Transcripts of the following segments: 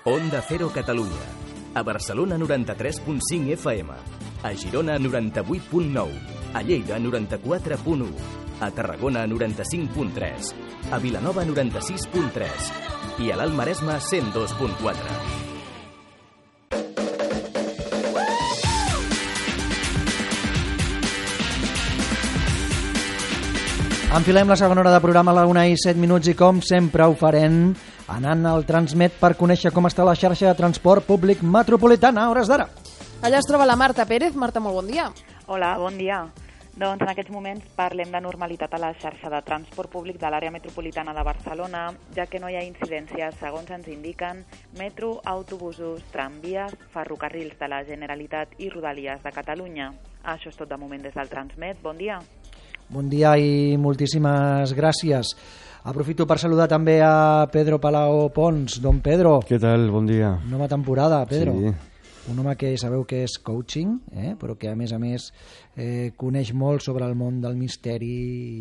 Onda Cero Catalunya. A Barcelona 93.5 FM. A Girona 98.9. A Lleida 94.1. A Tarragona 95.3. A Vilanova 96.3. I a l'Alt Maresme 102.4. Enfilem la segona hora de programa a la 1:07 i com sempre ho farem anant al Transmet per conèixer com està la xarxa de transport públic metropolitana a hores d'ara. Allà es troba la Marta Pérez. Marta, molt bon dia. Hola, bon dia. Doncs en aquests moments parlem de normalitat a la xarxa de transport públic de l'àrea metropolitana de Barcelona, ja que no hi ha incidències, segons ens indiquen, metro, autobusos, tramvies, ferrocarrils de la Generalitat i Rodalies de Catalunya. Això és tot de moment des del Transmet. Bon dia. Bon dia i moltíssimes gràcies. Aprofito per saludar també a Pedro Palao Pons. Don Pedro. Què tal? Bon dia. Nova temporada, Pedro. Sí. Un home que sabeu que és coaching, però que a més coneix molt sobre el món del misteri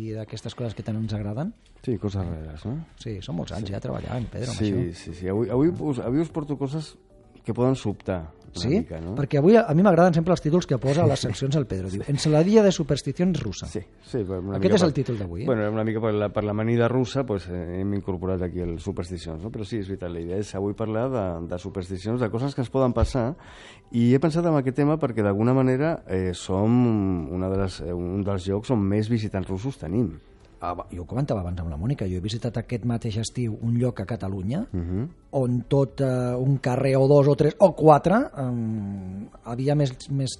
i d'aquestes coses que tant ens agraden. Sí, coses rares, no? Sí, són molts anys ja treballant, Pedro, amb això. Sí. Avui us porto coses que poden sobtar una mica, no? Perquè avui a mi m'agraden sempre els títols que posa a les seccions el Pedro. Diu, Ensaladilla de supersticions russa. Sí. Aquest és el títol d'avui, Bueno, una mica per l'amanida russa pues, hem incorporat aquí el supersticions, no? Però sí, és veritat, la idea és avui parlar de supersticions, de coses que ens poden passar, i he pensat en aquest tema perquè d'alguna manera som un dels llocs on més visitants russos tenim. Jo ho comentava abans amb la Mònica, jo he visitat aquest mateix estiu un lloc a Catalunya on tot un carrer o dos o tres o quatre havia més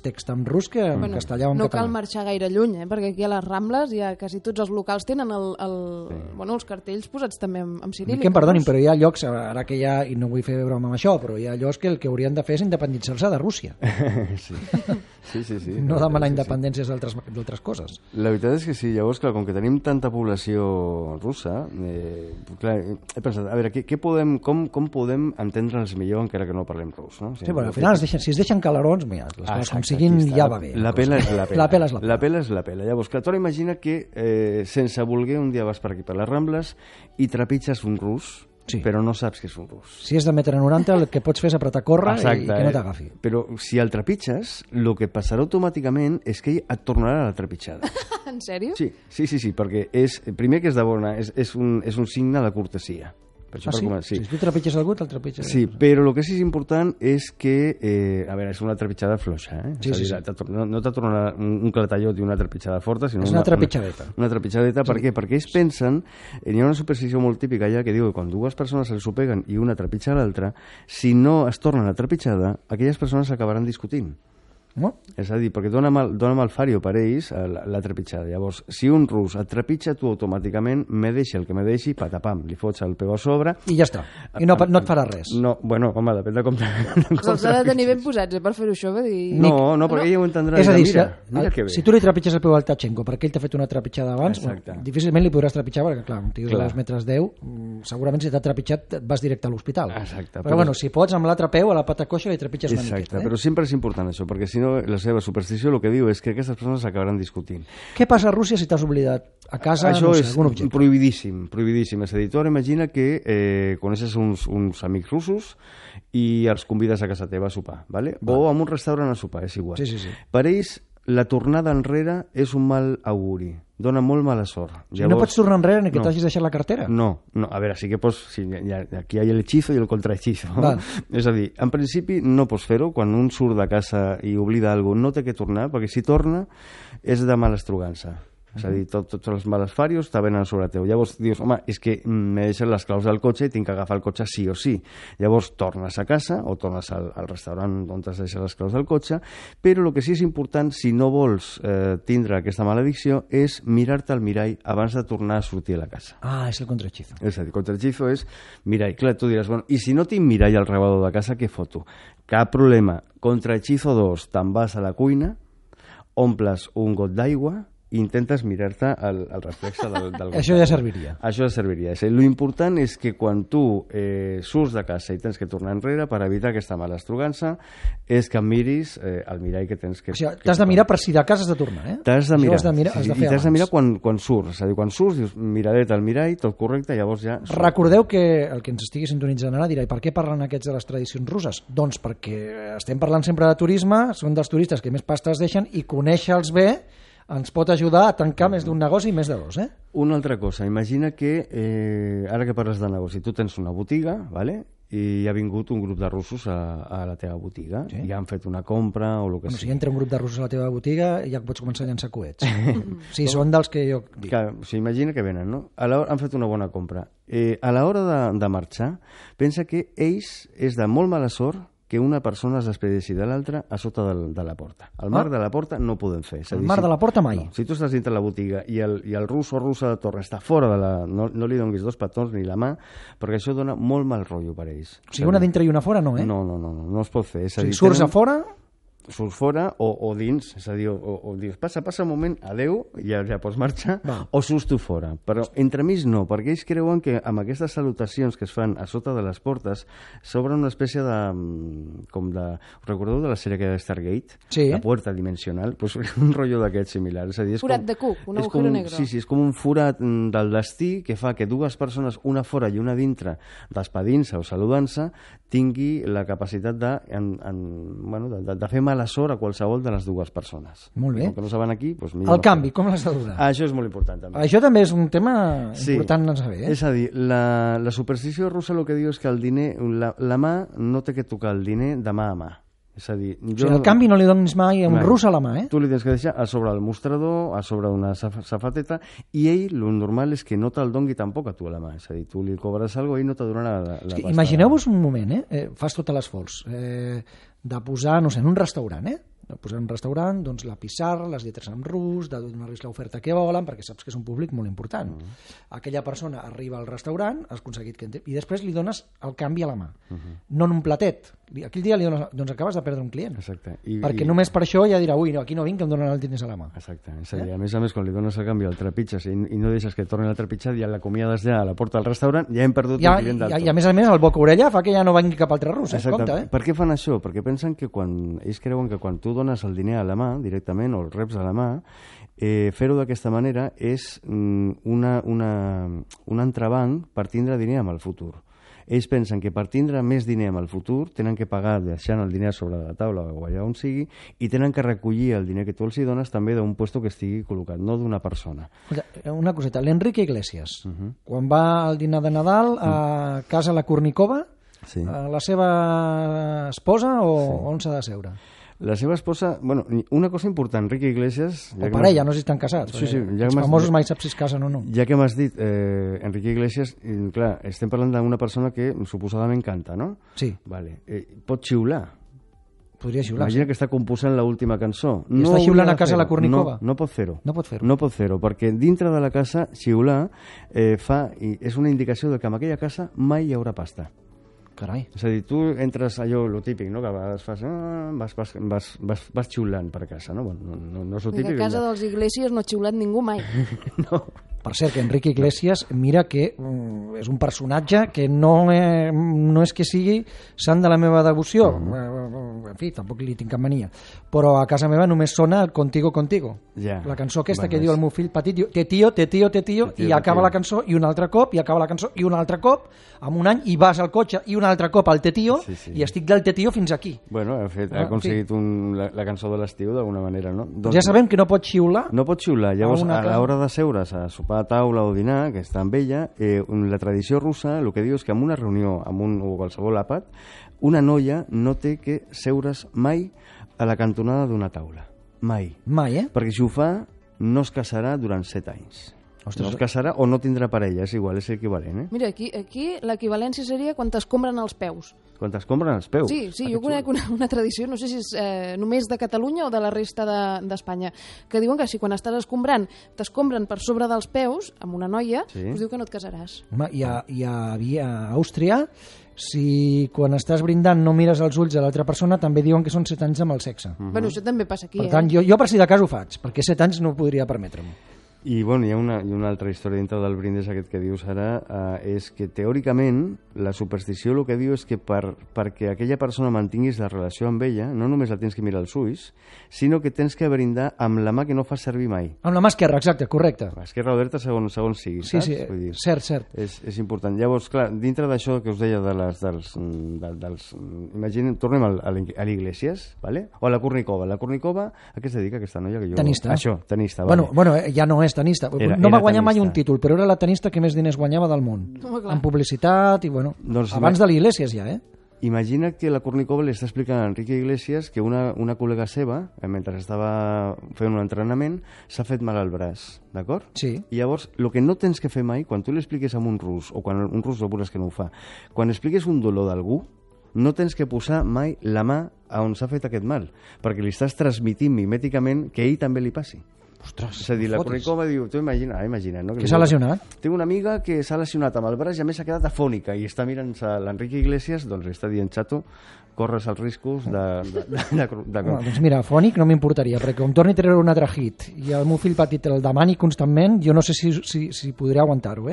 text en rus que en castellà o en català. No català. cal marxar gaire lluny, perquè aquí a les Rambles ja quasi tots els locals tenen els cartells posats també en ciríl·lic. Que em perdonin, però hi ha llocs, ara que hi ha, i no vull fer broma amb això, però hi ha llocs que el que haurien de fer és independitzar-se de Rússia. Sí. No demanar independències d'altres coses. La veritat és que sí, llavors, clar, com que tenim tanta població russa, clar, he pensat, a veure, com podem entendre'ns millor encara que no parlem rus, no? Sí, bueno, al final, si es deixen calarons, mira, les coses com siguin ja va bé. La pela és la pela. La pela és la pela. La pela és la pela. Llavors, clar, tu ara imagina que sense voler un dia vas per aquí, per les Rambles, i trepitges un rus, però no saps que és un rus. Si és de 1,90 m, el que pots fer és apretar córrer i que no t'agafi. Però si el trepitges, el que passarà automàticament és que ell et tornarà a la trepitjada. En sèrio? Sí, perquè primer que és de bona, és un signe de cortesia. Sí? Si tu trepitges algú, te'l trepitges. Sí, però el que sí és important és que, a veure, és una trepitjada fluixa, Sí. No te tornarà un clatallot i una trepitjada forta, sinó és una trepitjadeta. Una trepitjadeta, per què? Perquè ells pensen, hi ha una superstició molt típica ja que diu que quan dues persones se s'ho peguen i una trepitja l'altra, si no es tornen a trepitjada, aquelles persones s'acabaran discutint. No? És a dir, perquè dona mal fario per ells la trepitjada. Llavors, si un rus et trepitja, tu automàticament me deixi el que me deixi, patapam, li fots el peu a sobre... I ja està. I no et farà res. No, bueno, home, depèn de com... Els ha de tenir ben posats, per fer-ho això, va dir... No, perquè ell ho entendrà. És a dir, mira que bé. Si tu li trepitges el peu al Tachenko perquè ell t'ha fet una trepitjada abans, difícilment li podràs trepitjar, perquè clar, un tio de 2,10 m, segurament si t'ha trepitjat vas directe a l'hospital. Exacte. Però bueno, si pots amb l'altre peu a la pata coixa li trepitges una miqueta. Exacte, però sempre és important això, perquè si no la seva superstició el que diu és que aquestes persones s'acabaran discutint. Què passa a Rússia si t'has oblidat a casa això no sé, algun objecte? Prohibidíssim. És a dir, tu ara imagina que coneixes uns amics russos i els convides a casa teva a sopar, ¿vale? O a un restaurant a sopar, és igual. Sí. Per ells, la tornada enrere és un mal auguri, dona molt mala sort. Llavors, no pots tornar enrere ni que t'hagis deixat la cartera? No, a veure, sí que pots... Sí, aquí hi ha el hechizo i el contrahechizo. És a dir, en principi no pots fer-ho, quan un surt de casa i oblida alguna cosa, no té que tornar, perquè si torna és de mala estrugança. És a dir, tots els males farios te venen sobre teu. Llavors dius, home, és que m'he deixat les claus del cotxe i tinc que agafar el cotxe sí o sí. Llavors tornes a casa o tornes al restaurant on t'has deixat les claus del cotxe, però el que sí és important, si no vols tindre aquesta maledicció, és mirar-te al mirall abans de tornar a sortir a la casa. És el contrahechizo. És a dir, contrahechizo és mirall. Clar, tu diràs, bueno, i si no tinc mirall al rebedor de casa, què foto? Cap problema. Contrahechizo 2, te'n vas a la cuina, omples un got d'aigua i intentes mirar-te el reflex del Això ja serviria. Això ja serviria. L'important és que quan tu surts de casa i tens que tornar enrere per evitar aquesta mala estrugança és que miris el mirall que tens que... O sigui, t'has de mirar per si de casa has de tornar, eh? T'has de mirar. I t'has de mirar quan surts. És a dir, quan surts, dius, miradet al mirall, tot correcte, llavors ja... Recordeu que el que ens estigui sintonitzant ara dirà, i per què parlen aquests de les tradicions russes? Doncs perquè estem parlant sempre de turisme, són dels turistes que més pasta es deixen, i conèixer-los bé ens pot ajudar a tancar més d'un negoci i més de dos, eh? Una altra cosa, imagina que ara que parles de negoci, tu tens una botiga, ¿vale? I ha vingut un grup de russos a la teva botiga, sí? I han fet una compra o el que sigui. Si entra un grup de russos a la teva botiga ja pots començar a llançar coets. Sí, són dels que jo dic. Imagina que venen, no? Han fet una bona compra. A l'hora de marxar, pensa que ells és de molt mala sort que una persona es despedeixi de l'altra a sota de la porta. Al marc de la porta no ho podem fer. Al marc de la porta mai. No, si tu estàs dintre la botiga i el rus o russa de torre està fora de la... No li donis 2 petons ni la mà, perquè això dona molt mal rotllo per ells. O sigui, una dintre i una fora no, eh? No es pot fer. És a dir, surts a fora... surts fora o dins, és a dir, o dius, passa un moment, adeu, ja pots marxar, o surts tu fora. Però entremig no, perquè ells creuen que amb aquestes salutacions que es fan a sota de les portes s'obre una espècie de... Recordeu de la sèrie que era Stargate? Sí. La puerta dimensional? Pues un rotllo d'aquest similar. És a dir, forat de cuc, un agujero negre. Sí, és com un forat del destí que fa que dues persones, una fora i una dintre, despedint-se o saludant-se, tingui la capacitat de fer mala sort a qualsevol de les dues persones. Molt bé. Com que no saben aquí, doncs el canvi, com l'has de donar? Això és molt important també. Això també és un tema important de saber, eh? És a dir, la superstició russa el que diu és que el diner, la mà no té que tocar el diner de mà a mà. És a dir, el canvi no li donis mai a un rus a la mà, eh? Tu li tens que deixar a sobre el mostrador, a sobre una safateta, i ell, el normal és que no te'l dongui tampoc a tu a la mà. És a dir, tu li cobres alguna cosa i ell no te donarà la pasta. Imagineu-vos un moment, fas tot l'esforç de posar, no sé, en un restaurant, posar en un restaurant, doncs la pissarra, les lletres en rus, de donar-los l'oferta que volen, perquè saps que és un públic molt important. Aquella persona arriba al restaurant, has aconseguit que i després li dones el canvi a la mà. No en un platet. Aquell dia li dones, doncs acabes de perdre un client. Exacte. Perquè només per això ja dirà, ui, no, aquí no vinc, que em donen els diners a la mà. Exacte. És a dir, a més, quan li dones el canvi el trepitges i no deixes que torni el trepitjat, ja l'acomiades ja a la porta del restaurant, ja hem perdut un client del tot. I a més, el boca-orella fa que ja no vingui cap altre rus. Compte, Per què fan això? Perquè pensen que ells creuen que quan tu dones el diner a la mà, directament, o el reps a la mà, fer-ho d'aquesta manera és un entrebanc per tindre diner amb el futur. Ells pensen que per tindre més diner amb el futur tenen que pagar deixant el diner sobre la taula o allà on sigui i tenen que recollir el diner que tu els dones també d'un puesto que estigui col·locat, no d'una persona. Una coseta, l'Enrique Iglesias, quan va al dinar de Nadal a casa la Kornikova, la seva esposa o on s'ha de seure? La seva esposa, bueno, una cosa important, Enrique Iglesias... O parella, no sé si estan casats. Sí, els famosos mai saps si es casen o no. Ja que m'has dit Enrique Iglesias, clar, estem parlant d'una persona que suposadament canta, no? Sí. Vale. Pot xiular. Podria xiular. Imagina que està composant l'última cançó. I està xiulant a casa la Kornikova? No pot fer-ho. No pot fer-ho. No pot fer-ho, perquè dintre de la casa xiular és una indicació de que en aquella casa mai hi haurà pasta. Carai. És a dir, tu entres allò, lo típic, no? Que a vegades vas xiulant per casa, no? Bueno, no és lo típic. A casa dels Iglesias no ha xiulat ningú mai. No. Per cert, que Enrique Iglesias, mira que és un personatge que no és que sigui sant de la meva devoció. En fi, tampoc li tinc cap mania. Però a casa meva només sona el Contigo, Contigo. La cançó aquesta que diu el meu fill petit, diu te tío, i acaba la cançó, i un altre cop, i acaba la cançó, i un altre cop, en un any, i vas al cotxe, i un altre cop al te tío, i estic del te tío fins aquí. Bueno, ha aconseguit la cançó de l'estiu d'alguna manera, no? Ja sabem que no pot xiular. No pot xiular. Llavors, a l'hora de seure's a sopar a taula o dinar, que està amb ella, la tradició russa el que diu és que en una reunió o qualsevol àpat, una noia no té que seure's mai a la cantonada d'una taula. Mai. Mai, Perquè si ho fa, no es casarà durant 7 anys. No es casarà o no tindrà parella, és igual, és equivalent. Mira, aquí l'equivalència seria quan t'escombren els peus. Quan t'escombren els peus? Sí, jo conec una tradició, no sé si és només de Catalunya o de la resta d'Espanya, que diuen que si quan estàs escombrant t'escombren per sobre dels peus, amb una noia, us diu que no et casaràs. Home, i a Àustria, si quan estàs brindant no mires als ulls a l'altra persona, també diuen que són 7 anys amb el sexe. Bueno, això també passa aquí, Per tant, jo per si de cas ho faig, perquè 7 anys no ho podria permetre'm. I bueno, hi ha una altra història dintre del brindis aquest que dius ara, és que teòricament la superstició el que diu és que perquè aquella persona mantinguis la relació amb ella, no només la tens que mirar als ulls, sinó que tens que brindar amb la mà que no fas servir mai. Amb la mà esquerra, exacte, correcte. Esquerra o dreta segons sigui, sí, saps? Sí, Vull dir, cert. És important. Llavors, clar, dintre d'això que us deia imaginem, tornem a l'Iglesias, ¿vale? O a la Kornikova. La Kornikova, a què es dedica aquesta noia? Que jo... Tenista. Això, tenista, vale. Bueno, ja no és tenista. No va guanyar mai un títol, però era la tenista que més diners guanyava del món. En publicitat i, bueno, doncs, abans de l'Iglesias ja, Imagina que la Kornikova li està explicant a Enrique Iglesias que una col·lega seva, mentre estava fent un entrenament, s'ha fet mal al braç, d'acord? Sí. I llavors, el que no tens que fer mai, quan tu li expliques a un rus, o quan un rus veuràs que no ho fa, quan expliques un dolor d'algú, no tens que posar mai la mà on s'ha fet aquest mal, perquè li estàs transmitint mimèticament que a ell també li passi. Ostres, és a dir, la Kornikova diu, tu imagina, no? Que s'ha lesionat? Tinc una amiga que s'ha lesionat amb el braç i a més s'ha quedat afònica i està mirant l'Enrique Iglesias, doncs li està dient, xato, corres els riscos de... Doncs mira, afònic no m'importaria, perquè com torni a treure un altre hit i el meu fill petit el demani constantment, jo no sé si podré aguantar-ho,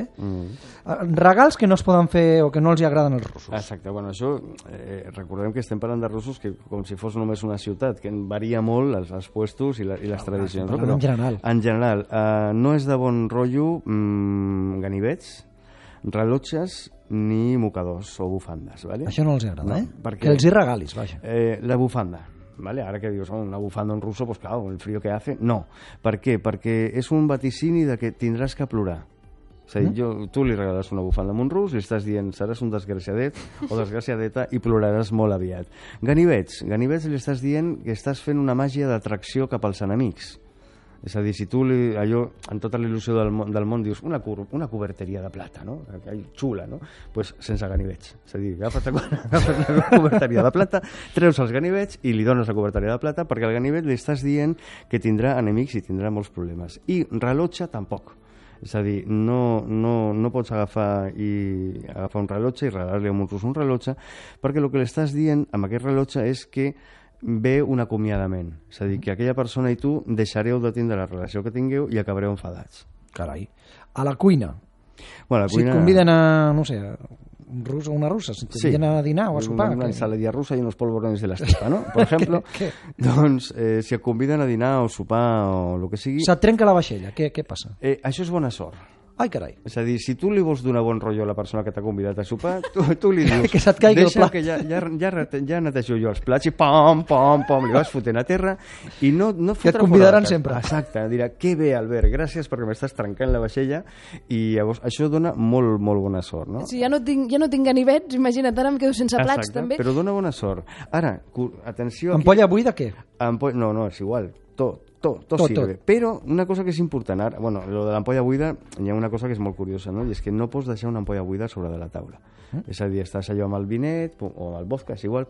Regals que no es poden fer o que no els hi agraden als russos. Exacte, bueno, això, recordem que estem parlant de russos que com si fos només una ciutat, que varia molt els puestos i les tradicions. Però en general, no és de bon rotllo ganivets, rellotges ni mocadors o bufandes, ¿vale? Això no els agrada, Perquè, que els hi regalis, vaja. La bufanda, ¿vale? Ara que dius, una bufanda en ruso, pues claro, el frío que hace, no. Per què? Perquè és un vaticini de que tindràs que plorar. És a dir, tu li regales una bufanda a un rus, li estàs dient seràs un desgraciadet o desgraciadeta i ploraràs molt aviat. Ganivets li estàs dient que estàs fent una màgia d'atracció cap als enemics. És a dir, si tu allò, en tota l'il·lusió del món dius una coberteria de plata, no? Xula, no? Doncs pues sense ganivets. És a dir, agafes la coberteria de plata, treus els ganivets i li dones la coberteria de plata perquè al ganivet li estàs dient que tindrà enemics i tindrà molts problemes. I rellotge tampoc. És a dir, no pots agafar un rellotge i regalar-li a un rus un rellotge perquè el que li estàs dient amb aquest rellotge és que ve un acomiadament. És a dir, que aquella persona i tu deixareu de tindre la relació que tingueu i acabareu enfadats. Carai. A la cuina. Bueno, si et conviden a, no sé, un rus o una russa, si et conviden a dinar o a sopar... Una ensaladilla russa i unos polvorones de la estepa, no? Per exemple, doncs, si et conviden a dinar o sopar o el que sigui... Se't trenca la vaixella, què passa? Això és bona sort. Ai, carai. És a dir, si tu li vols donar bon rotllo a la persona que t'ha convidat a sopar, tu li dius... que se't caigui el plat. Que ja netejo jo els plats i pom, li vas fotent a terra i no que et convidaran sempre. Exacte, dirà, que bé, Albert, gràcies perquè m'estàs trencant la vaixella i llavors això dona molt, molt bona sort, no? Si ja no tinc ganivets, imagina't, ara em quedo sense plats. Exacte, també. Però dona bona sort. Ara, atenció... Ampolla buida, què? No, és igual, tot sirve. Però una cosa que és important, ara, bueno, lo de l'ampolla buida, hi ha una cosa que és molt curiosa, no? I és que no pots deixar una ampolla buida sobre de la taula. És a dir, estàs allò amb el vinet o amb el vodka, és igual,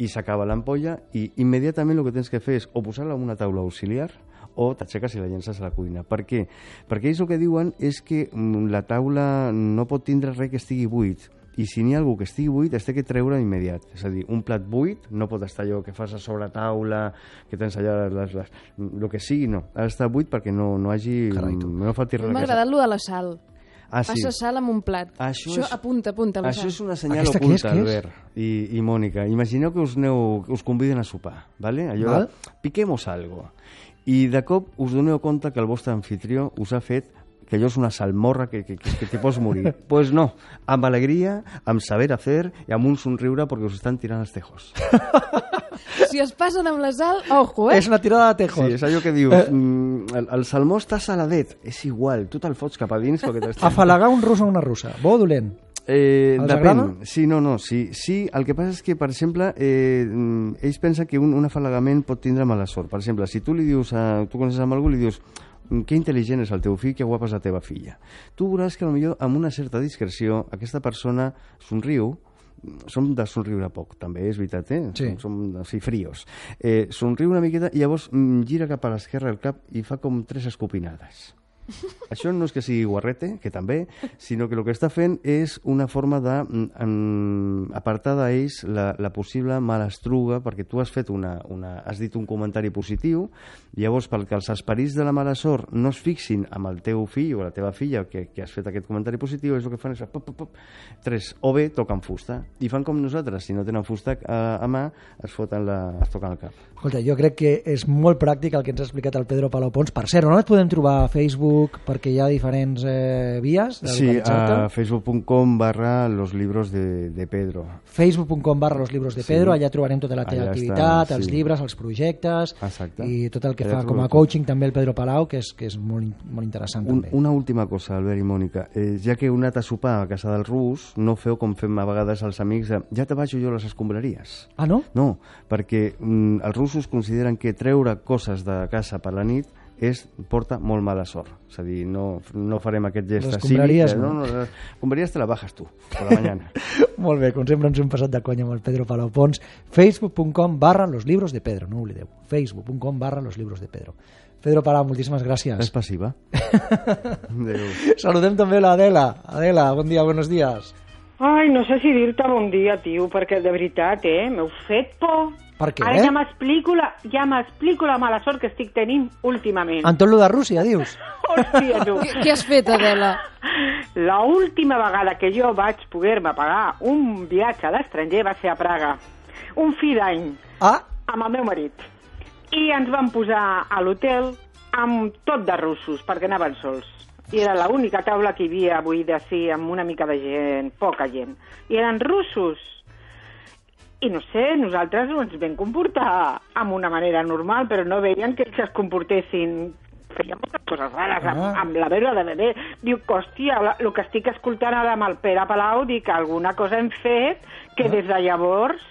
i s'acaba l'ampolla i immediatament el que tens que fer és o posar-la en una taula auxiliar o t'aixeques i la llences a la cuina. Per què? Perquè ells el que diuen és que la taula no pot tindre res que estigui buit. I si n'hi ha algú que estigui buit, es té que treure immediat. És a dir, un plat buit no pot estar allò que fas a sobre taula, que tens allà el que sigui, no. Ha d'estar buit perquè no hagi... No falti res. M'ha agradat lo de la sal. Sí. Passa sal amb un plat. Això apunta la sal. Això és una senyal oculta, Albert i Mònica. Imagineu que us conviden a sopar, ¿vale? Allò piquemos algo. I de cop us doneu compte que el vostre anfitrió us ha fet que allò és una salmorra que te pots morir. Pues no, amb alegria, amb saber hacer i amb un somriure perquè us estan tirant els tejos. Si es passen amb la sal, ojo, És una tirada de tejos. Sí, és allò que dius, el salmó està saladet, és igual, tu te'l fots cap a dins perquè t'estàs... Afalagar un rus o una russa, bo o dolent? Depèn. Sí, sí, el que passa és que, per exemple, ells pensen que un afalagament pot tindre mala sort. Per exemple, si tu li dius, tu coneixes amb algú, li dius que intel·ligent és el teu fill, que guapa és la teva filla. Tu veuràs que potser amb una certa discreció aquesta persona somriu, som de somriure poc, també, és veritat, Sí. som així frios. Somriu una miqueta i llavors gira cap a l'esquerra el cap i fa com 3 escopinades. Això no és que sigui guarrete, que també, sinó que el que està fent és una forma d'apartar d'ells la possible malastruga, perquè tu has fet has dit un comentari positiu, llavors perquè els esperits de la mala sort no es fixin amb el teu fill o la teva filla que has fet aquest comentari positiu, és el que fan és pop, pop, pop, 3, o bé toquen fusta, i fan com nosaltres, si no tenen fusta a mà, es toquen el cap. Escolta, jo crec que és molt pràctic el que ens ha explicat el Pedro Palau Pons. Per cert, on et podem trobar a Facebook? Perquè hi ha diferents vies de localitzar-te. Sí, a facebook.com/los libros de Pedro. Facebook.com/los libros de Pedro, allà trobarem tota la teva activitat, els llibres, els projectes. Exacte. I tot el que fa com a coaching també el Pedro Palau, que és molt interessant també. Una última cosa, Albert i Mònica. Ja que heu anat a sopar a casa del Rus, no feu com fem a vegades els amics de ja te baixo jo les escombraries. Ah, no? No, perquè els russos consideren que treure coses de casa per la nit porta molt mala sort. És a dir, no farem aquest gest les escombraries, no? Les escombraries te la bajas tu, per la mañana. Molt bé, com sempre ens hem passat de conya amb el Pedro Palau Pons. Facebook.com/los libros de Pedro, no ho oblideu. Facebook.com/los libros de Pedro. Pedro Palau, moltíssimes gràcies. És passiva. Saludem també l'Adela. Adela, bon dia, buenos días. Ai, no sé si dir-te bon dia, tio, perquè de veritat, m'heu fet por. Per què? Ara ja m'explico la mala sort que estic tenint últimament. En tot lo de Rússia, dius? Hòstia, tu. Què has fet, Adela? La última vegada que jo vaig poder-me pagar un viatge a l'estranger va ser a Praga. Un fi d'any. Amb el meu marit. I ens vam posar a l'hotel amb tot de russos, perquè anaven sols. I era l'única taula que hi havia buida, sí, amb una mica de gent, poca gent. I eren russos. I no sé, nosaltres ens vam comportar amb una manera normal, però no veien que ells es comportessin. Feien moltes coses rares, amb la veu de bebè. Diu, hòstia, el que estic escoltant ara amb el Pere Palau, dic que alguna cosa hem fet que des de llavors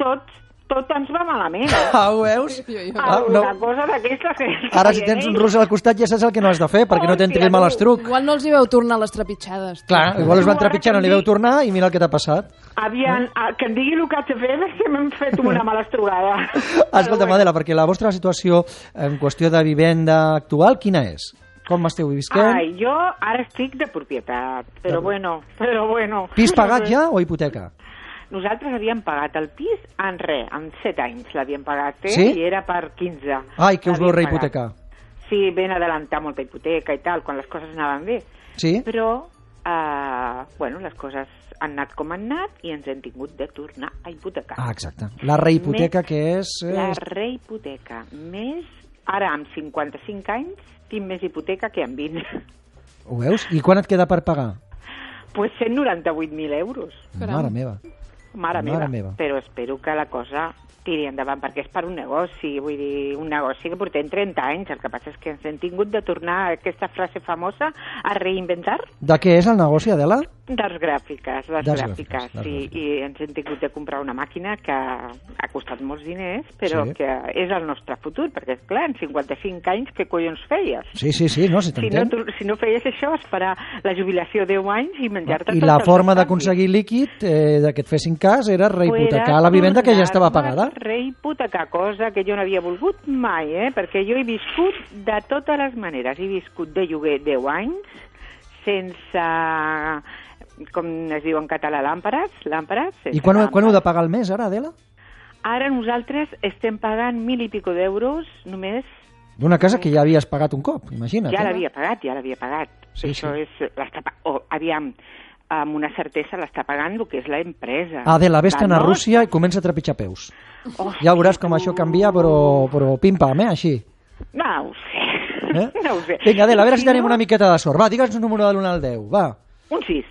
tot ens va malament. Ho veus? Alguna cosa d'aquestes... Ara si tens un rus al costat ja saps el que no has de fer, perquè no t'entri el malastruc. Igual no els hi veu tornar les trepitjades. Clar, igual els van trepitjar, no li veu tornar i mira el que t'ha passat. Que em digui el que haig de fer perquè m'hem fet una malastrugada. Escolta, Adela, perquè la vostra situació en qüestió de vivenda actual, quina és? Com esteu visquent? Ai, jo ara estic de propietat, però bueno. Pis pagat ja o hipoteca? Nosaltres havíem pagat el pis en 7 anys l'havíem pagat, Sí? I era per 15. Ai, que us vau rehipotecar. Sí, ben adelantar molta hipoteca i tal, quan les coses anaven bé. Sí? Però, les coses han anat com han anat i ens hem tingut de tornar a hipotecar. Exacte. La rehipoteca que és... La rehipoteca. Més, ara amb 55 anys, tinc més hipoteca que amb 20. Ho veus? I quan et queda per pagar? Pues 198.000 euros. Mare meva. Mare meva. Però espero que la cosa tiri endavant, perquè és per un negoci, vull dir, un negoci que portem 30 anys, el que passa és que ens hem tingut de tornar a aquesta frase famosa a reinventar. De què és el negoci, Adela? Les gràfiques, sí, i ens hem tingut de comprar una màquina que ha costat molts diners, però que és el nostre futur, perquè, clar, en 55 anys, què collons feies? Sí, no, si t'entenc. Si no feies això, esperar la jubilació 10 anys i menjar-te... I la forma d'aconseguir líquid, que et fessin cas, era rehipotecar la vivenda que ja estava pagada. Rehipotecar, cosa que jo no havia volgut mai, perquè jo he viscut de totes les maneres. He viscut de lloguer 10 anys, sense, com es diu en català, làmperes. I quan heu de pagar el mes, ara, Adela? Ara nosaltres estem pagant 1.000 i pico d'euros només. D'una casa que ja havies pagat un cop, imagina't. Ja l'havia pagat. Sí, això és... aviam, amb una certesa l'està pagant el que és l'empresa. Adela, vés-te'n a Rússia i comença a trepitjar peus. Ja veuràs com això canvia, però pim-pam, així. No ho sé. No ho sé. Vinga, Adela, a veure si tenim una miqueta de sort. Va, digue'ns un número de l'1 al 10, va. Un 6.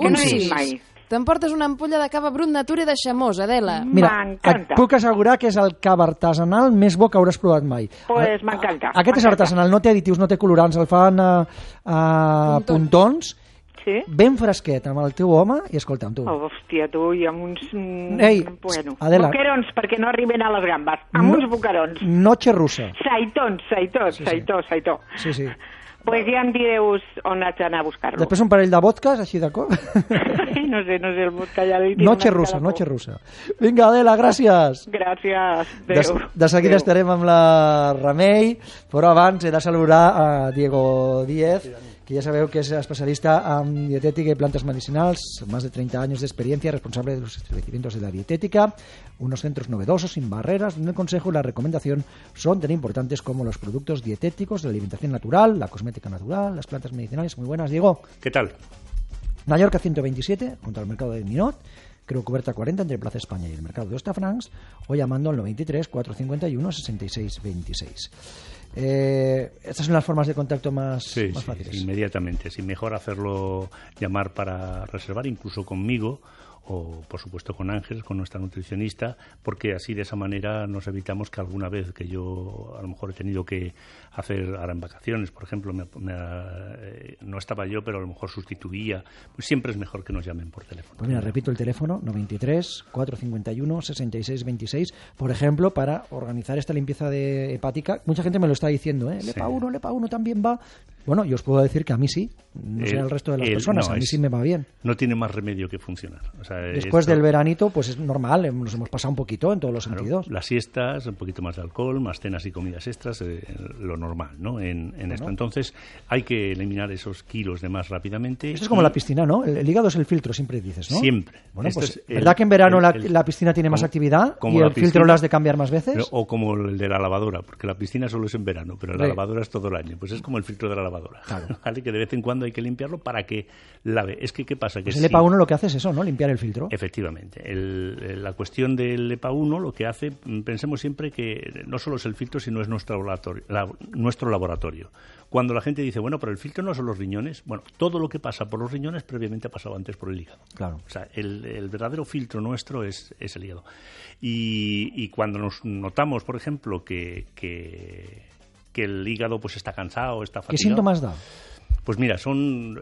Un 6. T'emportes una ampolla de cava Brut Nature de Xamós, Adela. Mira, et puc assegurar que és el cava artesanal més bo que hauràs provat mai. Pues m'encanta. Aquest és artesanal, no té additius, no té colorants, el fan a puntons ben fresquet amb el teu home i escolta'm tu. Hòstia, tu, i amb uns... Bueno, Adela. Boquerons, perquè no arriben a les gambes. Amb uns boquerons. Noche russa. Saitó. Sí. Pues ja em direu on haig d'anar a buscar-lo. Després un parell de vodkas, així de cop. No sé, el vodka ja li tinc. Noche russa. Vinga, Adela, gràcies. Gràcies. Adéu. De seguida estarem amb la Remei, però abans he de saludar a Diego Díez, que ya sabeu que es especialista en dietética y plantas medicinales, más de 30 años de experiencia, responsable de los establecimientos de la dietética, unos centros novedosos, sin barreras, donde el consejo y la recomendación son tan importantes como los productos dietéticos, la alimentación natural, la cosmética natural, las plantas medicinales. Muy buenas, Diego. ¿Qué tal? Mallorca 127, junto al mercado de Minot, creo Cuberta 40 entre Plaza España y el mercado de Hostafrancs, o llamando al 93 451 66 26. Estas son las formas de contacto más fáciles. Sí, inmediatamente. Sí, mejor hacerlo, llamar para reservar, incluso conmigo, o por supuesto con Ángel, con nuestra nutricionista, porque así de esa manera nos evitamos que alguna vez que yo a lo mejor he tenido que hacer, ahora en vacaciones, por ejemplo, no estaba yo, pero a lo mejor sustituía, pues siempre es mejor que nos llamen por teléfono. Pues mira, repito el teléfono, 93 451 66 26, por ejemplo, para organizar esta limpieza hepática. Mucha gente me lo está diciendo, el EPA1 también va. Bueno, yo os puedo decir que a mí sí, no sé el resto de las personas, a mí sí me va bien. No tiene más remedio que funcionar. O sea, después del veranito, pues es normal, nos hemos pasado un poquito en todos los sentidos. Las siestas, un poquito más de alcohol, más cenas y comidas extras, lo normal, ¿no? En esto. Entonces, hay que eliminar esos kilos de más rápidamente. Esto es como la piscina, ¿no? El hígado es el filtro, siempre dices, ¿no? Siempre. Bueno, pues, ¿verdad que en verano la piscina tiene más actividad y el filtro lo has de cambiar más veces? O como el de la lavadora, porque la piscina solo es en verano, pero la lavadora es todo el año. Pues es como el filtro de la lavadora. Claro. ¿Vale? Que de vez en cuando hay que limpiarlo para que lave. Es que, ¿qué pasa? Que pues el EPA1 lo que hace es eso, ¿no? Limpiar el filtro. Efectivamente. La cuestión del EPA1 lo que hace, pensemos siempre que no solo es el filtro, sino es nuestro laboratorio. Cuando la gente dice, bueno, pero el filtro no son los riñones, bueno, todo lo que pasa por los riñones previamente ha pasado antes por el hígado. Claro. O sea, el verdadero filtro nuestro es el hígado. Y cuando nos notamos, por ejemplo, que el hígado pues está cansado, está fatigado. ¿Qué síntomas da? Pues mira, son,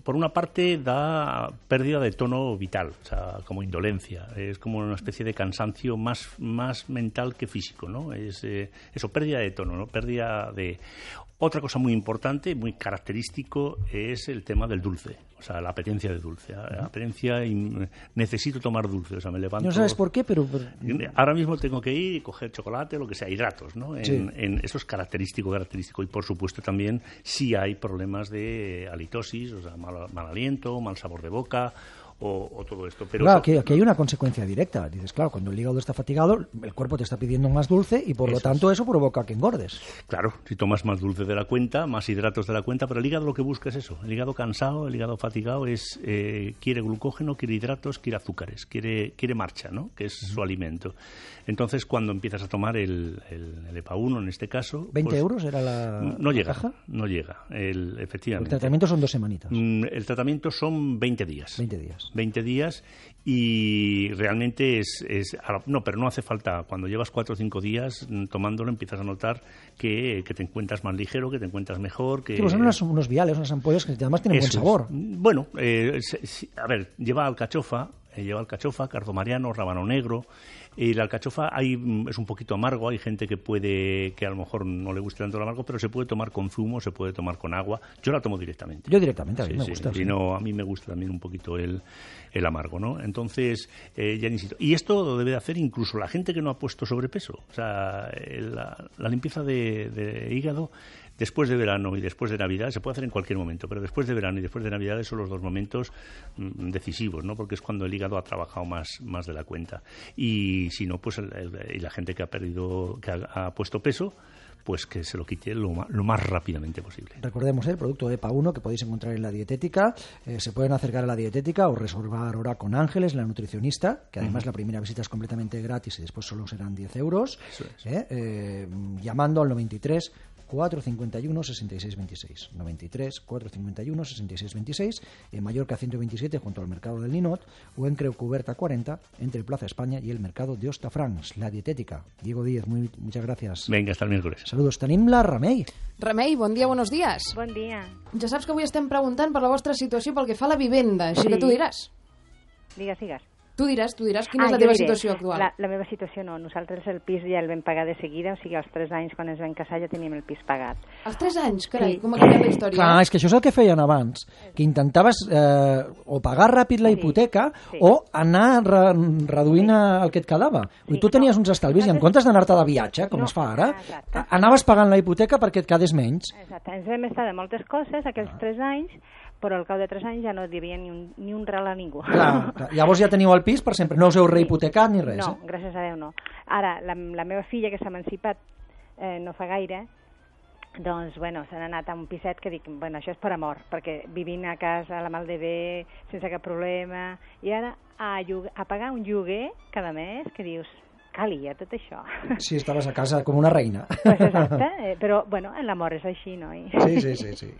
por una parte, da pérdida de tono vital, o sea, como indolencia. Es como una especie de cansancio más mental que físico, ¿no? Es eso, pérdida de tono, ¿no? Pérdida de... Otra cosa muy importante, muy característico, es el tema del dulce, o sea, la apetencia de dulce. La apetencia y necesito tomar dulce, o sea, me levanto... No sabes por qué, pero... Ahora mismo tengo que ir y coger chocolate, lo que sea, hidratos, ¿no? Eso es característico. Y, por supuesto, también si hay problemas de halitosis, o sea, mal aliento, mal sabor de boca... O todo esto. Pero claro, aquí hay una consecuencia directa. Dices, claro, cuando el hígado está fatigado, el cuerpo te está pidiendo más dulce y por lo tanto eso provoca que engordes. Claro, si tomas más dulce de la cuenta, más hidratos de la cuenta, pero el hígado lo que busca es eso. El hígado cansado, el hígado fatigado quiere glucógeno, quiere hidratos, quiere azúcares, quiere marcha, ¿no? Que es su alimento. Entonces, cuando empiezas a tomar el EPA1, en este caso... ¿20 euros era la caja? No llega, efectivamente. El tratamiento son 2 semanitas. El tratamiento son 20 días. 20 días y realmente pero no hace falta. Cuando llevas 4 o 5 días tomándolo empiezas a notar que te encuentras más ligero, que te encuentras mejor. Que son unos viales, unas ampollas que además tienen buen sabor. Bueno, a ver, lleva alcachofa, cardamariano, rábano negro. Y la alcachofa es un poquito amargo, hay gente que a lo mejor no le gusta tanto el amargo, pero se puede tomar con zumo, se puede tomar con agua. Yo la tomo directamente. Yo directamente, a mí me gusta. Sí. No, a mí me gusta también un poquito el amargo, ¿no? Entonces, ya insisto. Y esto lo debe de hacer incluso la gente que no ha puesto sobrepeso. O sea, la limpieza de hígado después de verano y después de Navidad se puede hacer en cualquier momento, pero después de verano y después de Navidad son los 2 momentos decisivos, ¿no? Porque es cuando el hígado ha trabajado más de la cuenta. Y si no, pues y la gente que ha puesto peso, pues que se lo quite lo más rápidamente posible. Recordemos el producto EPA1 que podéis encontrar en la dietética. Se pueden acercar a la dietética o reservar ahora con Ángeles, la nutricionista, que además la primera visita es completamente gratis y después solo serán 10 euros. Eso es. Llamando al 93 451 66 26. 93 451 66 26. En Mallorca 127 junto al Mercado del Ninot, o en Creu Coberta 40 entre Plaza España y el Mercado de Hostafrancs. La dietética. Diego Díez, muchas gracias. Venga, hasta el miércoles. Saludos. Tenim la Remei. Remei, bon dia, buenos días. Bon dia. Ja saps que avui estem preguntant per la vostra situació pel que fa a la vivenda, així que tu diràs. Digues. Tu diràs quina és la teva situació actual. La meva situació no. Nosaltres el pis ja el vam pagar de seguida, o sigui, als 3 anys, quan ens vam casar, ja teníem el pis pagat. Als 3 anys? Carai, com ha canviat la història. Clar, és que això és el que feien abans, que intentaves o pagar ràpid la hipoteca o anar reduint el que et quedava. Tu tenies uns estalvis i en comptes d'anar-te de viatge, com es fa ara, anaves pagant la hipoteca perquè et quedés menys. Exacte. Ens vam estar de moltes coses aquells 3 anys, però al cap de 3 anys ja no devia ni un ral a ningú. Clar. Llavors ja teniu el pis per sempre, no us heu rehipotecat ni res. No, gràcies a Déu no. Ara, la meva filla, que s'ha emancipat no fa gaire, doncs, bueno, s'han anat a un piset que dic, bueno, això és per amor, perquè vivint a casa, a la mal de bé, sense cap problema, i ara a pagar un lloguer cada mes, que dius, calia tot això. Sí, estaves a casa com una reina. Pues exacte, però, bueno, l'amor és així, no? Sí.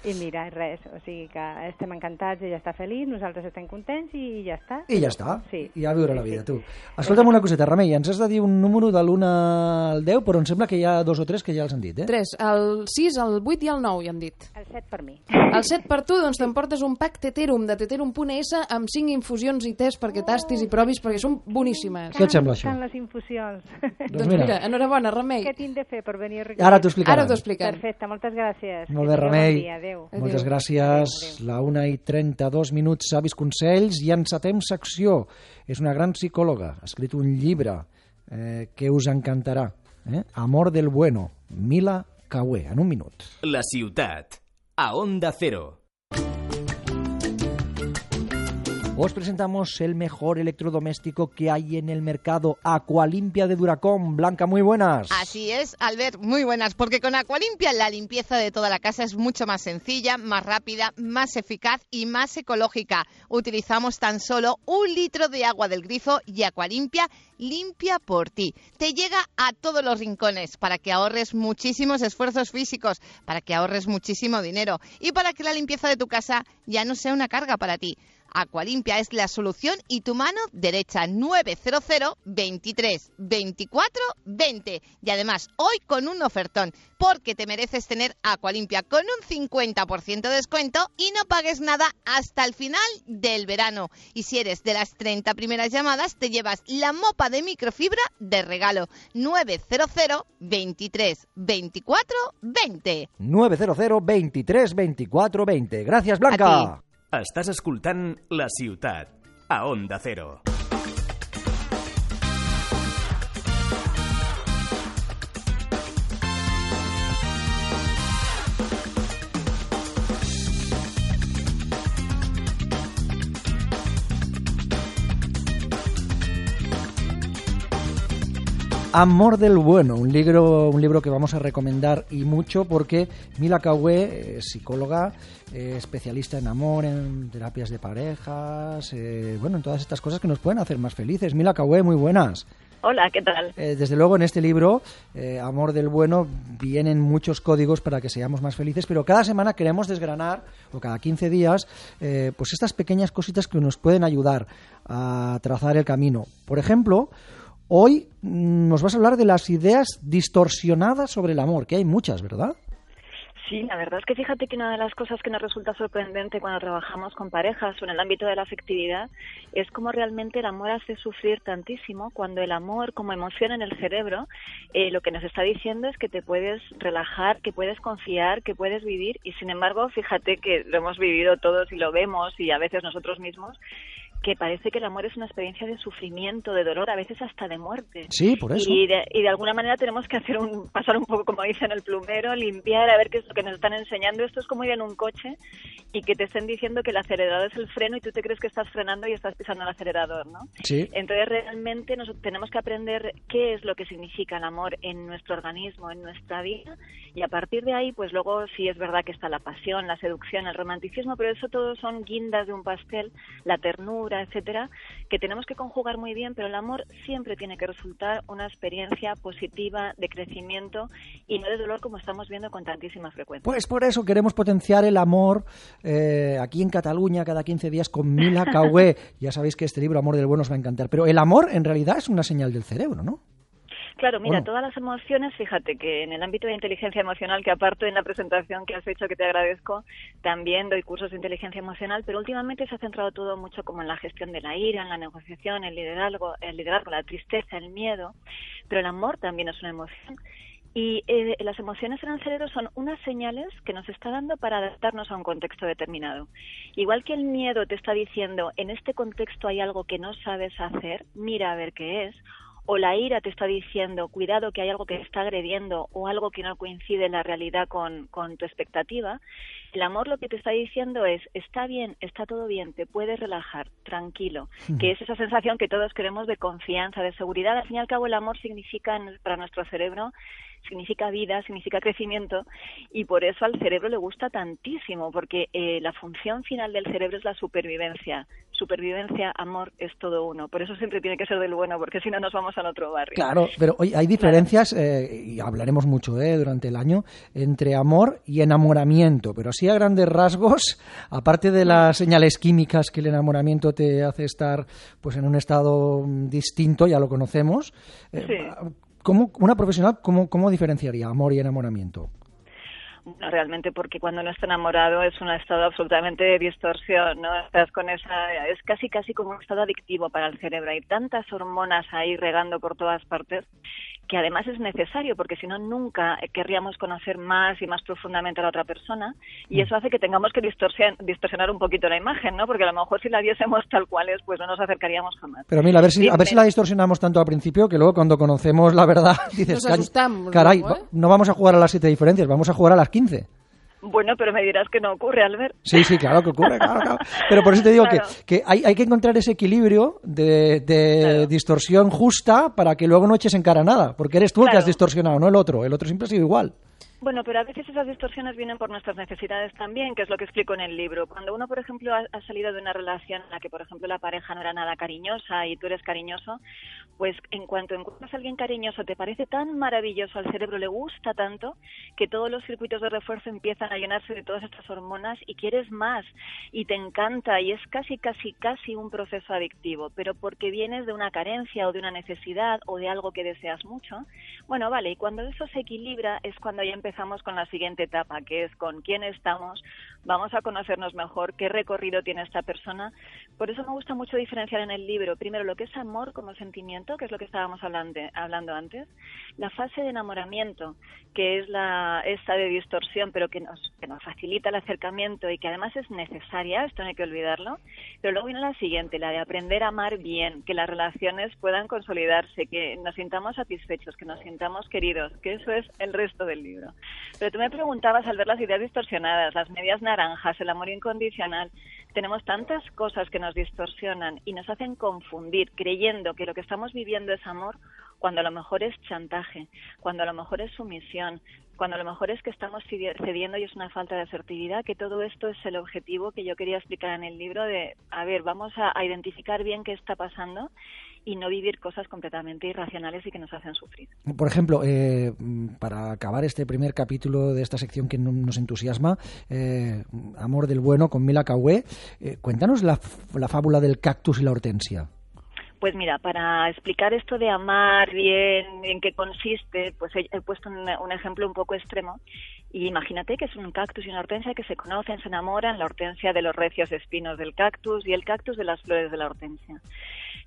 I mira, res, o sigui que estem encantats, ella està feliç, nosaltres estem contents i ja està. I ja està, sí. I a viure la vida, tu. Escolta'm una coseta, Remei, ens has de dir un número de l'1 al 10, però em sembla que hi ha 2 o 3 que ja els han dit, 3, el 6, el 8 i el 9 ja han dit. El 7 per mi. El 7 per tu, doncs t'emportes un pack Teterum de Teterum.es amb 5 infusions i tés perquè tastis i provis, perquè són boníssimes. Què et sembla això? Infusions. Doncs mira, enhorabona, Remei. Què tinc de fer per venir a recollir? Ara t'ho explicarem. Ara t'ho expliquem. Perfecte, moltes gràcies. Molt bé, Remei. Bon dia, adéu. Moltes gràcies. La 1:32, savis consells, i encetem secció. És una gran psicòloga, ha escrit un llibre que us encantarà. Amor del bueno, Mila Caué, en un minut. La ciutat, a Onda Cero. Os presentamos el mejor electrodoméstico que hay en el mercado, Aqualimpia de Duracom. Blanca, muy buenas. Así es, Albert, muy buenas, porque con Aqualimpia la limpieza de toda la casa es mucho más sencilla, más rápida, más eficaz y más ecológica. Utilizamos tan solo 1 litro de agua del grifo y Aqualimpia limpia por ti. Te llega a todos los rincones para que ahorres muchísimos esfuerzos físicos, para que ahorres muchísimo dinero y para que la limpieza de tu casa ya no sea una carga para ti. Aqualimpia es la solución y tu mano derecha. 900 23 24 20. Y además, hoy con un ofertón, porque te mereces tener Aqualimpia con un 50% de descuento y no pagues nada hasta el final del verano. Y si eres de las 30 primeras llamadas, te llevas la mopa de microfibra de regalo. 900 23 24 20. 900 23 24 20. Gràcies, Blanca. Estàs escoltant La Ciutat, a Onda Cero. Amor del bueno, un libro que vamos a recomendar y mucho porque Mila Caué, psicóloga, especialista en amor, en terapias de parejas, en todas estas cosas que nos pueden hacer más felices. Mila Caué, muy buenas. Hola, ¿qué tal? Desde luego en este libro, Amor del bueno, vienen muchos códigos para que seamos más felices, pero cada semana queremos desgranar, o cada 15 días, pues estas pequeñas cositas que nos pueden ayudar a trazar el camino. Por ejemplo, hoy nos vas a hablar de las ideas distorsionadas sobre el amor, que hay muchas, ¿verdad? Sí, la verdad es que fíjate que una de las cosas que nos resulta sorprendente cuando trabajamos con parejas o en el ámbito de la afectividad es cómo realmente el amor hace sufrir tantísimo, cuando el amor como emoción en el cerebro lo que nos está diciendo es que te puedes relajar, que puedes confiar, que puedes vivir, y sin embargo fíjate que lo hemos vivido todos y lo vemos, y a veces nosotros mismos, que parece que el amor es una experiencia de sufrimiento, de dolor, a veces hasta de muerte. Sí, por eso. Y de alguna manera tenemos que pasar un poco, como dicen el plumero, limpiar, a ver qué es lo que nos están enseñando. Esto es como ir en un coche y que te estén diciendo que el acelerador es el freno y tú te crees que estás frenando y estás pisando el acelerador, ¿no? Sí. Entonces realmente tenemos que aprender qué es lo que significa el amor en nuestro organismo, en nuestra vida, y a partir de ahí, pues luego sí es verdad que está la pasión, la seducción, el romanticismo, pero eso todo son guindas de un pastel, la ternura, ternura, etcétera, que tenemos que conjugar muy bien, pero el amor siempre tiene que resultar una experiencia positiva de crecimiento y no de dolor, como estamos viendo con tantísima frecuencia. Pues por eso queremos potenciar el amor aquí en Cataluña cada 15 días con Mila Caué. Ya sabéis que este libro, Amor del Bueno, os va a encantar. Pero el amor en realidad es una señal del cerebro, ¿no? Claro, mira, todas las emociones, fíjate que en el ámbito de inteligencia emocional, que aparte en la presentación que has hecho, que te agradezco, también doy cursos de inteligencia emocional, pero últimamente se ha centrado todo mucho como en la gestión de la ira, en la negociación, el liderazgo, la tristeza, el miedo, pero el amor también es una emoción. Y las emociones en el cerebro son unas señales que nos está dando para adaptarnos a un contexto determinado. Igual que el miedo te está diciendo, en este contexto hay algo que no sabes hacer, mira a ver qué es, o la ira te está diciendo, cuidado que hay algo que te está agrediendo o algo que no coincide en la realidad con tu expectativa, el amor lo que te está diciendo es, está bien, está todo bien, te puedes relajar, tranquilo, que es esa sensación que todos queremos de confianza, de seguridad. Al fin y al cabo el amor significa para nuestro cerebro, significa vida, significa crecimiento, y por eso al cerebro le gusta tantísimo, porque la función final del cerebro es la supervivencia. Supervivencia, amor, es todo uno. Por eso siempre tiene que ser del bueno, porque si no nos vamos al otro barrio. Claro, pero oye, hay diferencias, y hablaremos mucho durante el año, entre amor y enamoramiento, pero así a grandes rasgos, aparte de las señales químicas que el enamoramiento te hace estar pues en un estado distinto, ya lo conocemos, una profesional, ¿cómo diferenciaría amor y enamoramiento? Bueno, realmente porque cuando uno está enamorado es un estado absolutamente de distorsión, ¿no? Estás con es casi como un estado adictivo para el cerebro. Hay tantas hormonas ahí regando por todas partes que además es necesario, porque si no nunca querríamos conocer más y más profundamente a la otra persona, y eso hace que tengamos que distorsionar un poquito la imagen, ¿no? Porque a lo mejor si la viésemos tal cual es, pues no nos acercaríamos jamás. Pero mira, a ver si la distorsionamos tanto al principio, que luego cuando conocemos la verdad dices, nos asustamos, caray, luego, no vamos a jugar a las 7 diferencias, vamos a jugar a las 15. Bueno, pero me dirás que no ocurre, Albert. Sí, claro que ocurre, claro. Pero por eso te digo que hay que encontrar ese equilibrio de distorsión justa para que luego no eches en cara nada, porque eres tú el que has distorsionado, no el otro siempre ha sido igual. Bueno, pero a veces esas distorsiones vienen por nuestras necesidades también, que es lo que explico en el libro. Cuando uno, por ejemplo, ha salido de una relación en la que, por ejemplo, la pareja no era nada cariñosa y tú eres cariñoso, pues en cuanto encuentras a alguien cariñoso te parece tan maravilloso, al cerebro le gusta tanto, que todos los circuitos de refuerzo empiezan a llenarse de todas estas hormonas y quieres más y te encanta y es casi un proceso adictivo, pero porque vienes de una carencia o de una necesidad o de algo que deseas mucho. Bueno, vale, y cuando eso se equilibra es cuando ya empezamos con la siguiente etapa, que es con quién estamos, vamos a conocernos mejor, qué recorrido tiene esta persona. Por eso me gusta mucho diferenciar en el libro, primero lo que es amor como sentimiento, que es lo que estábamos hablando antes, la fase de enamoramiento, que es esta de distorsión, pero que nos facilita el acercamiento y que además es necesaria, esto no hay que olvidarlo, pero luego viene la siguiente, la de aprender a amar bien, que las relaciones puedan consolidarse, que nos sintamos satisfechos, que nos sintamos queridos, que eso es el resto del libro. Pero tú me preguntabas al ver las ideas distorsionadas, las medias naranjas, el amor incondicional. Tenemos tantas cosas que nos distorsionan y nos hacen confundir creyendo que lo que estamos viviendo es amor cuando a lo mejor es chantaje, cuando a lo mejor es sumisión, cuando a lo mejor es que estamos cediendo y es una falta de asertividad, que todo esto es el objetivo que yo quería explicar en el libro de, a ver, vamos a identificar bien qué está pasando y no vivir cosas completamente irracionales y que nos hacen sufrir. Por ejemplo, para acabar este primer capítulo de esta sección que nos entusiasma, Amor del Bueno con Mila Caué, cuéntanos la fábula del cactus y la hortensia. Pues mira, para explicar esto de amar bien, en qué consiste, pues he puesto un ejemplo un poco extremo. Y imagínate que es un cactus y una hortensia que se conocen, se enamoran, la hortensia de los recios espinos del cactus y el cactus de las flores de la hortensia.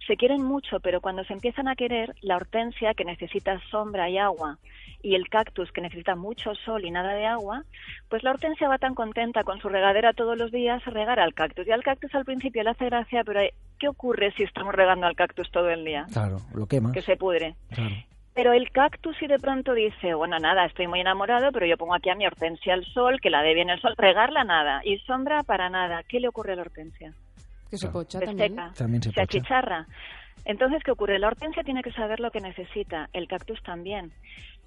Se quieren mucho, pero cuando se empiezan a querer, la hortensia, que necesita sombra y agua, y el cactus, que necesita mucho sol y nada de agua, pues la hortensia va tan contenta con su regadera todos los días a regar al cactus. Y al cactus al principio le hace gracia, pero ¿qué ocurre si estamos regando al cactus todo el día? Claro, lo quemas. Que se pudre. Claro. Pero el cactus si de pronto dice, bueno, nada, estoy muy enamorado, pero yo pongo aquí a mi hortensia al sol, que la dé bien el sol, regarla nada, y sombra para nada. ¿Qué le ocurre a la hortensia? Que se pocha también. También se achicharra. Entonces, ¿qué ocurre? La hortensia tiene que saber lo que necesita, el cactus también.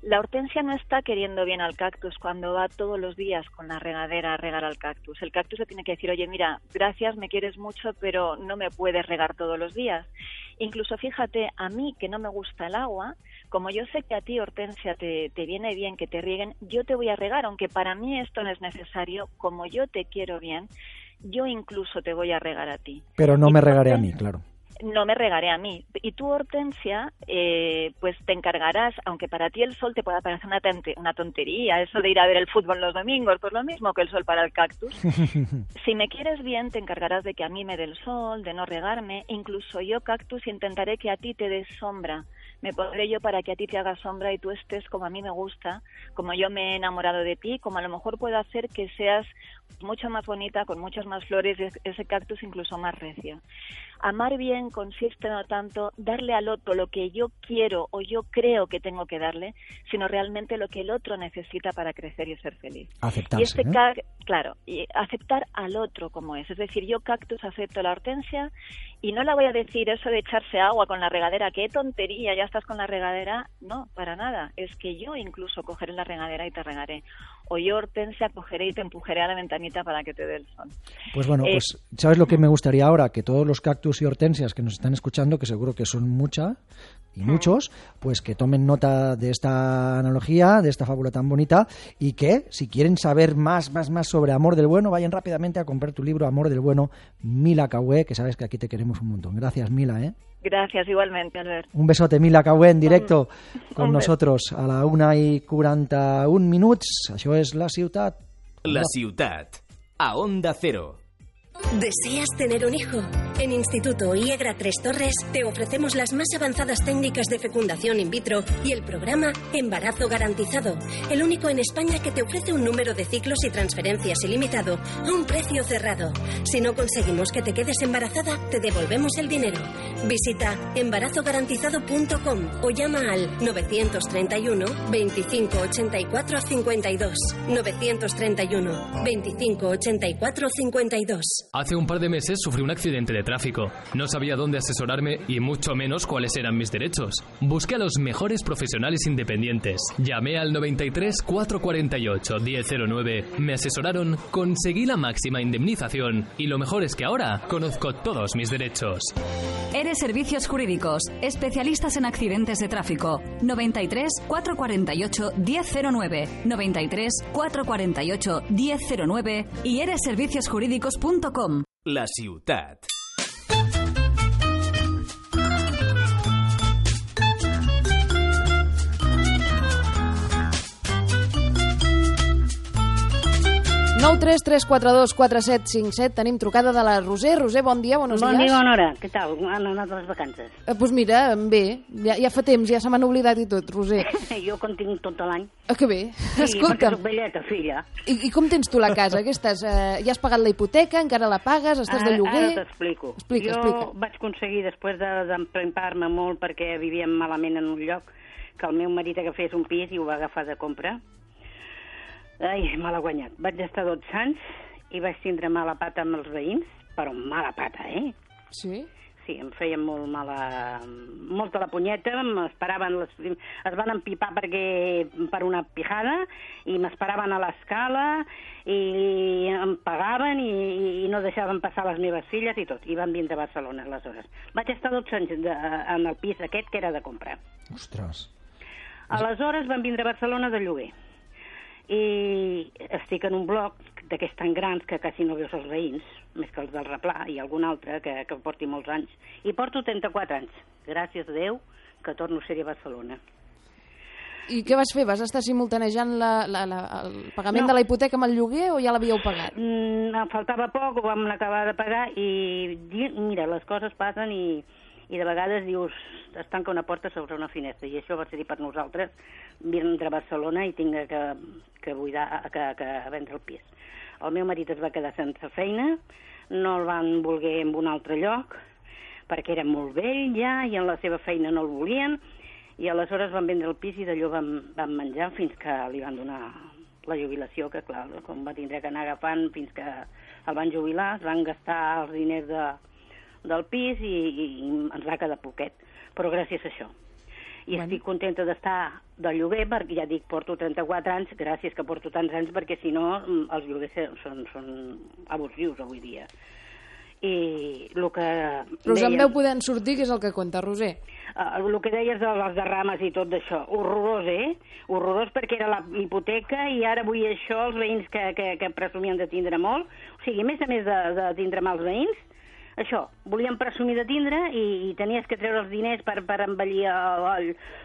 La hortensia no está queriendo bien al cactus cuando va todos los días con la regadera a regar al cactus. El cactus le tiene que decir, oye, mira, gracias, me quieres mucho, pero no me puedes regar todos los días. Incluso, fíjate, a mí que no me gusta el agua, como yo sé que a ti, hortensia, te viene bien que te rieguen, yo te voy a regar, aunque para mí esto no es necesario, como yo te quiero bien, yo incluso te voy a regar a ti. Pero no me regaré a mí, claro. No me regaré a mí. Y tú, hortensia, pues te encargarás, aunque para ti el sol te pueda parecer una tontería, eso de ir a ver el fútbol los domingos, pues lo mismo que el sol para el cactus. Si me quieres bien, te encargarás de que a mí me dé el sol, de no regarme. Incluso yo, cactus, intentaré que a ti te dé sombra. Me pondré yo para que a ti te haga sombra y tú estés como a mí me gusta, como yo me he enamorado de ti, como a lo mejor puedo hacer que seas mucho más bonita, con muchas más flores, ese cactus incluso más recio. Amar bien consiste no tanto darle al otro lo que yo quiero o yo creo que tengo que darle, sino realmente lo que el otro necesita para crecer y ser feliz. Aceptarse, claro, y aceptar al otro como es. Es decir, yo, cactus, acepto la hortensia y no la voy a decir eso de echarse agua con la regadera, qué tontería, ya estás con la regadera. No, para nada. Es que yo incluso cogeré la regadera y te regaré. O yo, hortensia, cogeré y te empujaré a la ventanita para que te dé el sol. Pues bueno, pues ¿sabes lo que me gustaría ahora? Que todos los cactus y hortensias que nos están escuchando, que seguro que son muchas y muchos, pues que tomen nota de esta analogía, de esta fábula tan bonita, y que si quieren saber más sobre Amor del Bueno, vayan rápidamente a comprar tu libro Amor del Bueno, Mila Caué, que sabes que aquí te queremos un montón. Gracias, Mila, ¿eh? Gracias, igualmente, Albert. Un besote, Mila Caué, en directo con nosotros a la 1:41. Això és La Ciutat. La Ciutat, a Onda Cero. ¿Deseas tener un hijo? En Instituto IEGRA Tres Torres te ofrecemos las más avanzadas técnicas de fecundación in vitro y el programa Embarazo Garantizado, el único en España que te ofrece un número de ciclos y transferencias ilimitado a un precio cerrado. Si no conseguimos que te quedes embarazada, te devolvemos el dinero. Visita embarazogarantizado.com o llama al 931 25 84 52. 931 25 84 52. Hace un par de meses sufrí un accidente de tráfico. No sabía dónde asesorarme y mucho menos cuáles eran mis derechos. Busqué a los mejores profesionales independientes. Llamé al 93 448 1009. Me asesoraron, conseguí la máxima indemnización y lo mejor es que ahora conozco todos mis derechos. Eres Servicios Jurídicos, especialistas en accidentes de tráfico. 93 448 1009. 93 448 1009 y eresserviciosjurídicos.com. La Ciutat. Nou 3 3 4 2 4 7 5 7. Tenim trucada de la Roser. Roser, bon dia, buenos dies. Bon dia, bona hora. Què tal? Han anat les vacances? Pues mira, bé. Ja fa temps, ja se m'han oblidat i tot, Roser. Jo quan tinc tot l'any. Que bé. Sí, escolta'm. perquè soc velleta, filla. I com tens tu la casa? Què estàs? Ja has pagat la hipoteca? Encara la pagues? Estàs de lloguer? Ara t'explico. Explica. Vaig aconseguir, després d'emprempar-me molt perquè vivíem malament en un lloc, que el meu marit agafés un pis i ho va agafar de compra. Ai, me l'ha guanyat. Vaig estar 12 anys i vaig tindre mala pata amb els veïns, però mala pata, eh? Sí? Sí, em feien molta la punyeta, es van empipar per una pijada i m'esperaven a l'escala i em pagaven i no deixaven passar les meves filles i tot, i van vindre a Barcelona aleshores. Vaig estar 12 anys en el pis aquest que era de comprar. Ostres. Aleshores van vindre a Barcelona de lloguer i estic en un bloc d'aquests tan grans que quasi no veus els veïns, més que els del Replà i algun altre que porti molts anys. I porto 34 anys. Gràcies a Déu que torno a ser a Barcelona. I què vas fer? Vas estar simultanejant el pagament de la hipoteca amb el lloguer o ja l'havíeu pagat? Em faltava poc, ho vam acabar de pagar i mira, les coses passen i de vegades dius, es tanca una porta sobre una finestra, i això va ser per nosaltres vindre a Barcelona i tinc que vendre el pis. El meu marit es va quedar sense feina, no el van voler en un altre lloc, perquè era molt vell ja, i en la seva feina no el volien, i aleshores van vendre el pis i d'allò van menjar fins que li van donar la jubilació, que clar, com va tindre que anar agafant fins que el van jubilar, es van gastar els diners del pis i ens va quedar poquet, però gràcies a això. I estic contenta d'estar de lloguer, perquè ja dic, porto 34 anys, gràcies que porto tants anys, perquè si no els lloguers són abusius avui dia. I el que... Però us en veu poder sortir, que és el que compta, Roser. El que deies de les derrames i tot d'això, horrorós, horrorós, perquè era la hipoteca i ara vull això, els veïns que presumien de tindre molt, o sigui, a més de tindre mals veïns, això, volíem presumir de tindre i tenies que treure els diners per embellir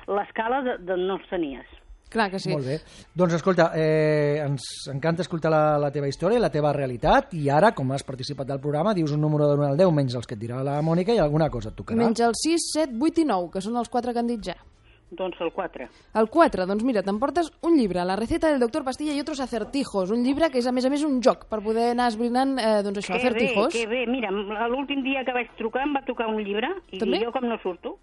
l'escala, no els tenies. Clar que sí. Molt bé. Doncs escolta, ens encanta escoltar la teva història, la teva realitat, i ara, com has participat del programa, dius un número de 1 al 10, menys els que et dirà la Mònica, i alguna cosa et tocarà. Menys el 6, 7, 8 i 9, que són els 4 que han dit ja. Doncs el 4. El 4, doncs mira, t'emportes un llibre, La receta del doctor Pastilla i otros acertijos, un llibre que és a més un joc per poder anar esbrinant, doncs això, acertijos. Que bé, mira, l'últim dia que vaig trucar em va tocar un llibre i jo com no surto.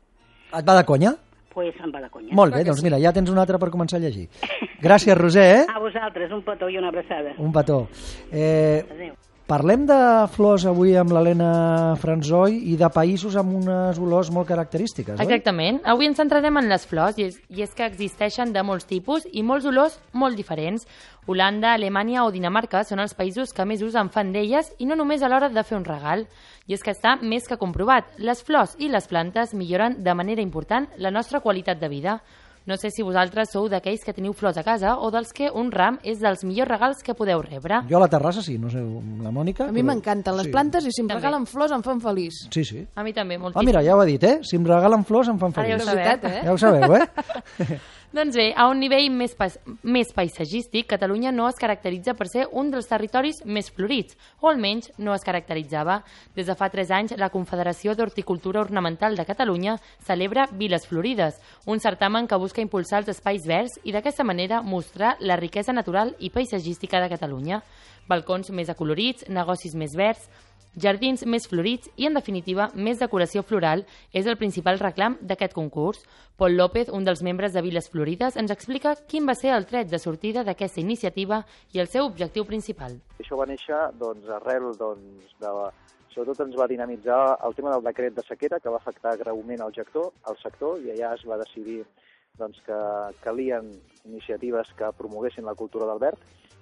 Et va de conya? Pues em va de conya. Molt bé, doncs mira, ja tens un altre per començar a llegir. Gràcies, Roser. A vosaltres, un petó i una abraçada. Un petó. Adéu. Parlem de flors avui amb l'Helena Franzoi i de països amb unes olors molt característiques, oi? Exactament. Avui ens centrarem en les flors i és que existeixen de molts tipus i molts olors molt diferents. Holanda, Alemanya o Dinamarca són els països que més ús en fan d'elles i no només a l'hora de fer un regal. I és que està més que comprovat. Les flors i les plantes milloren de manera important la nostra qualitat de vida. No sé si vosaltres sou d'aquells que teniu flors a casa o dels que un ram és dels millors regals que podeu rebre. Jo a la terrassa sí, no sé, la Mònica... A mi m'encanten les plantes i si em regalen flors em fan feliç. Sí, sí. A mi també, moltíssim. Mira, ja ho ha dit, Si em regalen flors em fan feliç. Ja ho sabeu, Ja ho sabeu, Doncs bé, a un nivell més paisatgístic, Catalunya no es caracteritza per ser un dels territoris més florits, o almenys no es caracteritzava. Des de fa 3 anys, la Confederació d'Horticultura Ornamental de Catalunya celebra Viles Florides, un certamen que busca impulsar els espais verds i d'aquesta manera mostrar la riquesa natural i paisatgística de Catalunya. Balcons més acolorits, negocis més verds, jardins més florits i, en definitiva, més decoració floral és el principal reclam d'aquest concurs. Pol López, un dels membres de Viles Florides, ens explica quin va ser el tret de sortida d'aquesta iniciativa i el seu objectiu principal. Això va néixer arrel sobretot ens va dinamitzar el tema del decret de sequera que va afectar greument el sector i allà es va decidir que calien iniciatives que promoguessin la cultura del verd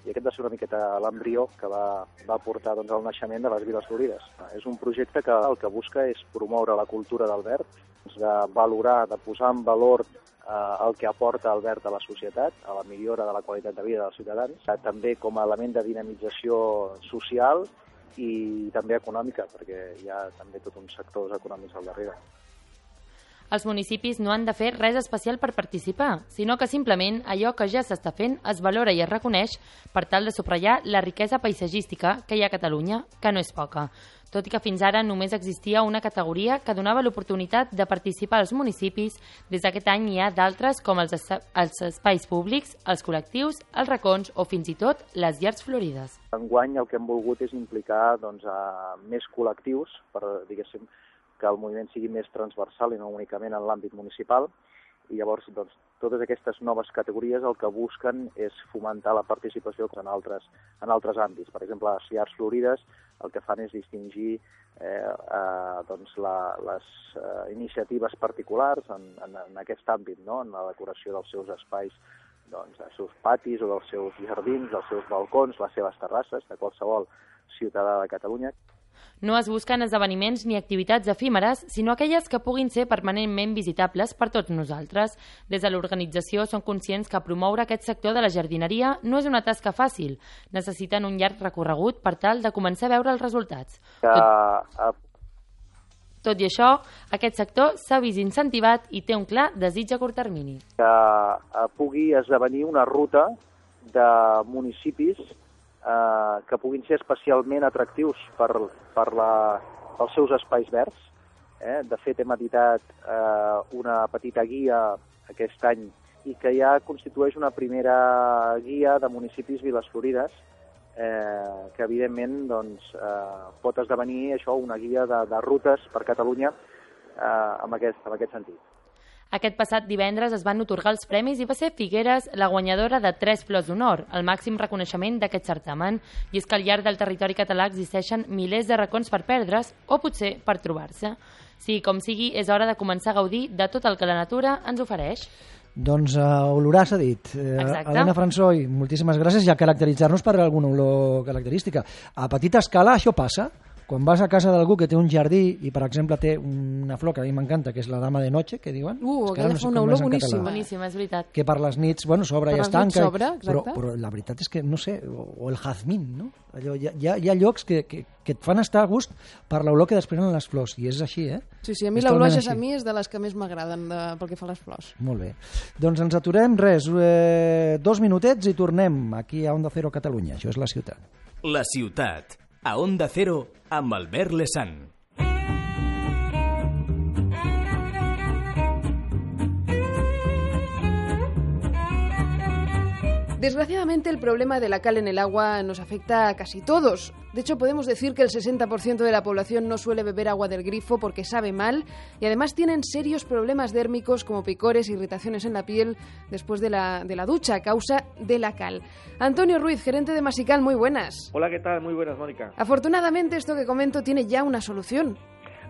i aquest va ser una miqueta l'embrió que va portar al naixement de les Viles Florides. És un projecte que el que busca és promoure la cultura del verd, de valorar, de posar en valor el que aporta el verd a la societat, a la millora de la qualitat de vida dels ciutadans, també com a element de dinamització social i també econòmica, perquè hi ha també tot uns sectors econòmics al darrere. Els municipis no han de fer res especial per participar, sinó que simplement allò que ja s'està fent es valora i es reconeix per tal de subratllar la riquesa paisatgística que hi ha a Catalunya, que no és poca. Tot i que fins ara només existia una categoria que donava l'oportunitat de participar als municipis, des d'aquest any hi ha d'altres com els espais públics, els col·lectius, els racons o fins i tot les llars florides. Enguany el que hem volgut és implicar a més col·lectius per, diguéssim, que el moviment sigui més transversal i no únicament en l'àmbit municipal i llavors totes aquestes noves categories el que busquen és fomentar la participació en altres àmbits. Per exemple, les llars florides el que fan és distingir les iniciatives particulars en aquest àmbit, no? En la decoració dels seus espais, dels seus patis o dels seus jardins, dels seus balcons, les seves terrasses, de qualsevol ciutadà de Catalunya. No es busquen esdeveniments ni activitats efímeres, sinó aquelles que puguin ser permanentment visitables per tots nosaltres. Des de l'organització són conscients que promoure aquest sector de la jardineria no és una tasca fàcil. Necessiten un llarg recorregut per tal de començar a veure els resultats. Tot i això, aquest sector s'ha vist incentivat i té un clar desig a curt termini. Que pugui esdevenir una ruta de municipis que puguin ser especialment atractius pels seus espais verds. De fet, hem editat una petita guia aquest any i que ja constitueix una primera guia de municipis Viles Florides que, evidentment, pot esdevenir això una guia de rutes per Catalunya en aquest sentit. Aquest passat divendres es van otorgar els premis i va ser Figueres la guanyadora de 3 flors d'honor, el màxim reconeixement d'aquest certamen. I és que al llarg del territori català existeixen milers de racons per perdre's o potser per trobar-se. Sí, com sigui, és hora de començar a gaudir de tot el que la natura ens ofereix. Doncs oloràs, ha dit. Helena Fransoi, moltíssimes gràcies. Ja caracteritzar-nos per alguna olor característica. A petita escala això passa. Quan vas a casa d'algú que té un jardí i, per exemple, té una flor que a mi m'encanta, que és la dama de noche, que diuen... Aquella fa una olor boníssima. Boníssima, és veritat. Que per les nits, bueno, s'obre i es tanca. Però la veritat és que, no sé, o el jazmín, no? Allò, hi ha llocs que et fan estar a gust per l'olor que desprenen les flors, i és així, eh? Sí, a mi l'olor jasmí és de les que més m'agraden pel que fa a les flors. Molt bé. Doncs ens aturem, 2 minutets i tornem aquí a Onda Cero Catalunya. Això és La Ciutat. La Ciutat, a Onda Cero, amb Albert Lesan. Desgraciadamente, el problema de la cal en el agua nos afecta a casi todos. De hecho, podemos decir que el 60% de la población no suele beber agua del grifo porque sabe mal y además tienen serios problemas dérmicos como picores, irritaciones en la piel después de la ducha a causa de la cal. Antonio Ruiz, gerente de Masical, muy buenas. Hola, ¿qué tal? Muy buenas, Mónica. Afortunadamente, esto que comento tiene ya una solución.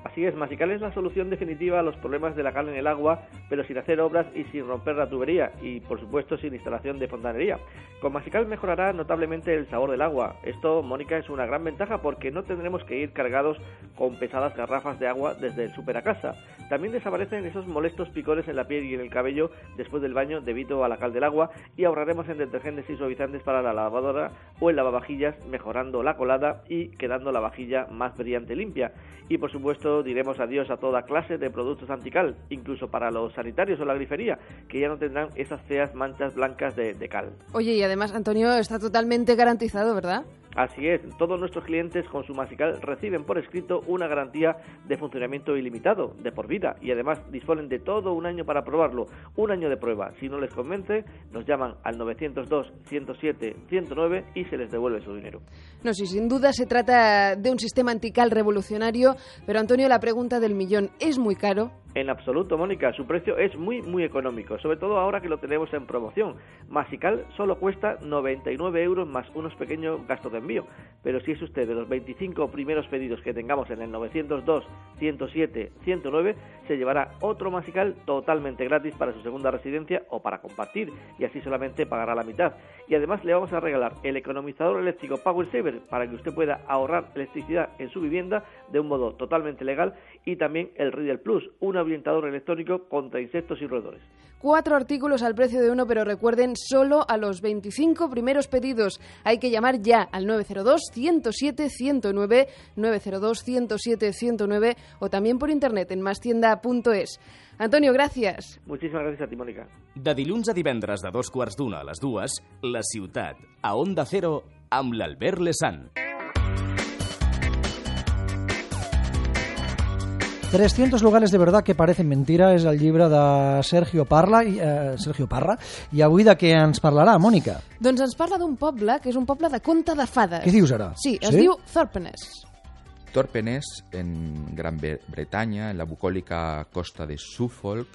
Así es, Masical es la solución definitiva a los problemas de la cal en el agua, pero sin hacer obras y sin romper la tubería y, por supuesto, sin instalación de fontanería. Con Masical mejorará notablemente el sabor del agua. Esto, Mónica, es una gran ventaja porque no tendremos que ir cargados con pesadas garrafas de agua desde el súper a casa. También desaparecen esos molestos picores en la piel y en el cabello después del baño debido a la cal del agua y ahorraremos en detergentes y suavizantes para la lavadora o el lavavajillas, mejorando la colada y quedando la vajilla más brillante y limpia. Y, por supuesto, diremos adiós a toda clase de productos antical, incluso para los sanitarios o la grifería, que ya no tendrán esas feas manchas blancas de cal. Oye, y además, Antonio, está totalmente garantizado, ¿verdad? Así es, todos nuestros clientes con su Masical reciben por escrito una garantía de funcionamiento ilimitado, de por vida, y además disponen de todo un año para probarlo, un año de prueba. Si no les convence, nos llaman al 902-107-109 y se les devuelve su dinero. No, sí, sin duda se trata de un sistema antical revolucionario, pero Antonio, la pregunta del millón, ¿es muy caro? En absoluto, Mónica, su precio es muy económico, sobre todo ahora que lo tenemos en promoción. Masical solo cuesta 99 euros más unos pequeños gastos de envío, pero si es usted de los 25 primeros pedidos que tengamos en el 902, 107, 109, se llevará otro Masical totalmente gratis para su segunda residencia o para compartir, y así solamente pagará la mitad. Y además le vamos a regalar el economizador eléctrico Power Saver para que usted pueda ahorrar electricidad en su vivienda de un modo totalmente legal, y también el Riddle Plus, un ambientador electrónico contra insectos y roedores. 4 artículos al precio de uno, pero recuerden, solo a los 25 primeros pedidos. Hay que llamar ya al 902-107-109, 902-107-109 o también por internet en mastienda.es. Antonio, gracias. Muchísimas gracias a ti, Mónica. De dilluns a divendres de 2:15 a les 2, La Ciutat, a Onda Cero, amb l'Albert Lesan. 300 lugares de verdad que parecen mentira és el llibre de Sergio Parra i avui de què ens parlarà, Mònica? Doncs ens parla d'un poble que és un poble de conte de fades. Què dius ara? Sí, es diu Thorpeness. Thorpeness, en Gran Bretaña, en la bucólica costa de Suffolk,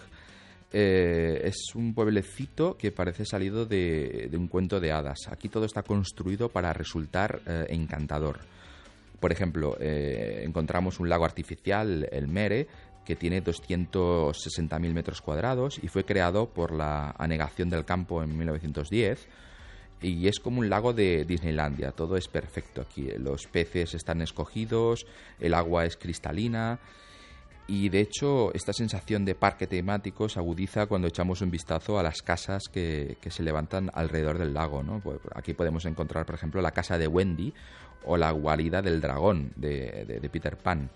es un pueblecito que parece salido de un cuento de hadas. Aquí todo está construido para resultar encantador. Por ejemplo, encontramos un lago artificial, el Mere, que tiene 260.000 metros cuadrados y fue creado por la anegación del campo en 1910. Y es como un lago de Disneylandia, todo es perfecto aquí. Los peces están escogidos, el agua es cristalina y de hecho esta sensación de parque temático se agudiza cuando echamos un vistazo a las casas que se levantan alrededor del lago, ¿no? Pues aquí podemos encontrar, por ejemplo, la casa de Wendy o la guarida del dragón de Peter Pan.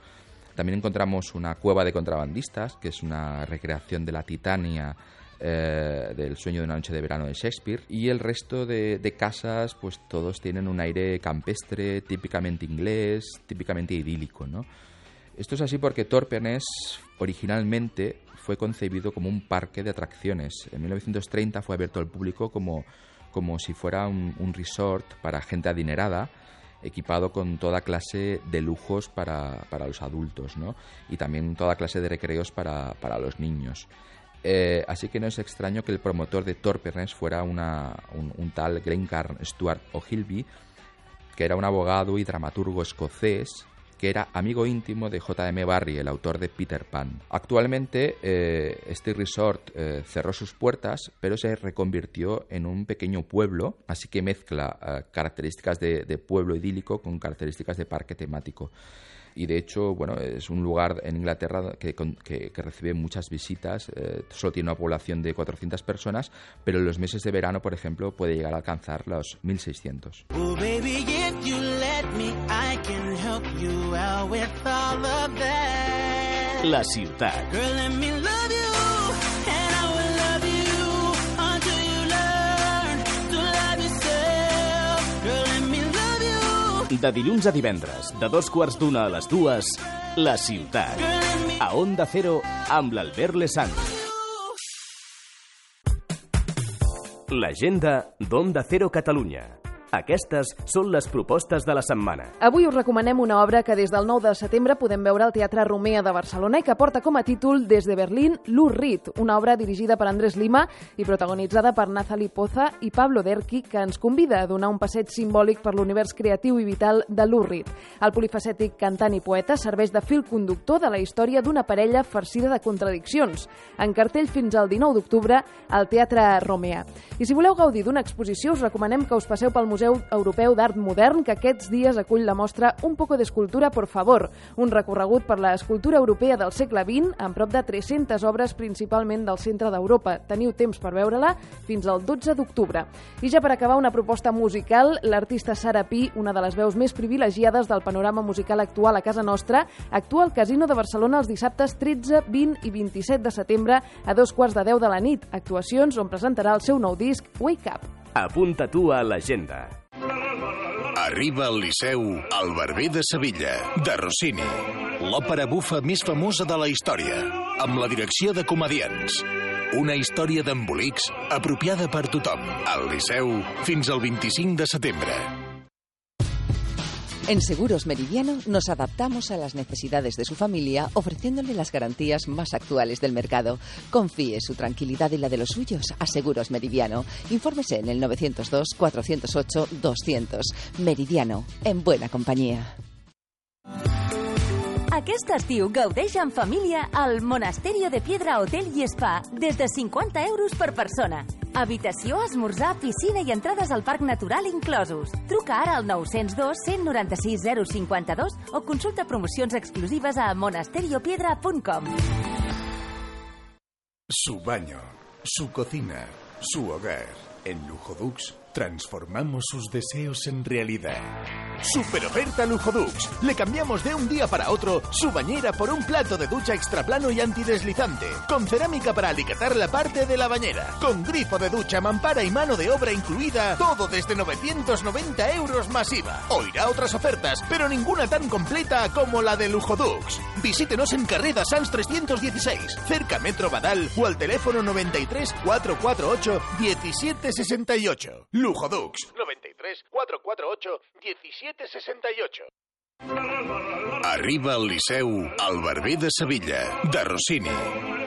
También encontramos una cueva de contrabandistas, que es una recreación de la Titania del sueño de una noche de verano de Shakespeare, y el resto de casas pues todos tienen un aire campestre, típicamente inglés, típicamente idílico, ¿no? Esto es así porque Thorpeness originalmente fue concebido como un parque de atracciones. En 1930 fue abierto al público como si fuera un resort para gente adinerada, equipado con toda clase de lujos para los adultos, ¿no? Y también toda clase de recreos para los niños. Así que no es extraño que el promotor de Torperness fuera un tal Glencairn Stuart O'Hilby, que era un abogado y dramaturgo escocés que era amigo íntimo de J.M. Barrie, el autor de Peter Pan. Actualmente este resort cerró sus puertas, pero se reconvirtió en un pequeño pueblo, así que mezcla características de pueblo idílico con características de parque temático. Y de hecho, bueno, es un lugar en Inglaterra que recibe muchas visitas. Solo tiene una población de 400 personas, pero en los meses de verano, por ejemplo, puede llegar a alcanzar los 1.600. Oh, baby, if you let me, I can help you out with all of that. La ciutat. Girl, let me love you, and I will love you until you learn to love yourself. Girl, let me love you. De dilluns a divendres, de 2:15 a les 2, La ciutat. A Onda Cero, amb l'Albert Lezán. L'agenda d'Onda Cero Catalunya. Aquestes són les propostes de la setmana. Avui us recomanem una obra que des del 9 de setembre podem veure al Teatre Romea de Barcelona i que porta com a títol Des de Berlín, Lou Reed, una obra dirigida per Andrés Lima i protagonitzada per Nathalie Poza i Pablo Derqui, que ens convida a donar un passeig simbòlic per l'univers creatiu i vital de Lou Reed. El polifacètic cantant i poeta serveix de fil conductor de la història d'una parella farcida de contradiccions. En cartell fins al 19 d'octubre al Teatre Romea. I si voleu gaudir d'una exposició, us recomanem que us passeu pel Museu Europeu d'Art Modern, que aquests dies acull la mostra Un poco de escultura, por favor, un recorregut per l'escultura europea del segle XX, amb prop de 300 obres, principalment del centre d'Europa. Teniu temps per veure-la fins al 12 d'octubre. I ja per acabar, una proposta musical, l'artista Sara Pi, una de les veus més privilegiades del panorama musical actual a casa nostra, actua al Casino de Barcelona els dissabtes 13, 20 i 27 de setembre a 2:15 de la nit. Actuacions on presentarà el seu nou disc, Wake Up. Apunta tu a l'agenda. Arriba al Liceu El Barber de Sevilla, de Rossini. L'òpera bufa més famosa de la història, amb la direcció de comediants. Una història d'embolics apropiada per tothom. Al Liceu fins al 25 de setembre. En Seguros Meridiano nos adaptamos a las necesidades de su familia ofreciéndole las garantías más actuales del mercado. Confíe su tranquilidad y la de los suyos a Seguros Meridiano. Infórmese en el 902-408-200. Meridiano, en buena compañía. Aquest estiu gaudeix en família al Monasterio de Piedra Hotel i Spa des de 50 euros per persona. Habitació, esmorzar, piscina i entrades al Parc Natural inclosos. Truca ara al 902 196 052 o consulta promocions exclusives a monasteriopiedra.com. Su baño, su cocina, su hogar. En Lujodux transformamos sus deseos en realidad. ¡Super oferta Lujodux! Le cambiamos de un día para otro su bañera por un plato de ducha extraplano y antideslizante, con cerámica para alicatar la parte de la bañera, con grifo de ducha, mampara y mano de obra incluida, todo desde 990 euros masiva. Oirá otras ofertas, pero ninguna tan completa como la de Lujodux. Visítenos en Carrera Sans 316, cerca Metro Badal, o al teléfono 93 448 1768. Lujodux 93 448 1768. Arriba al Liceu El Barber de Sevilla, de Rossini.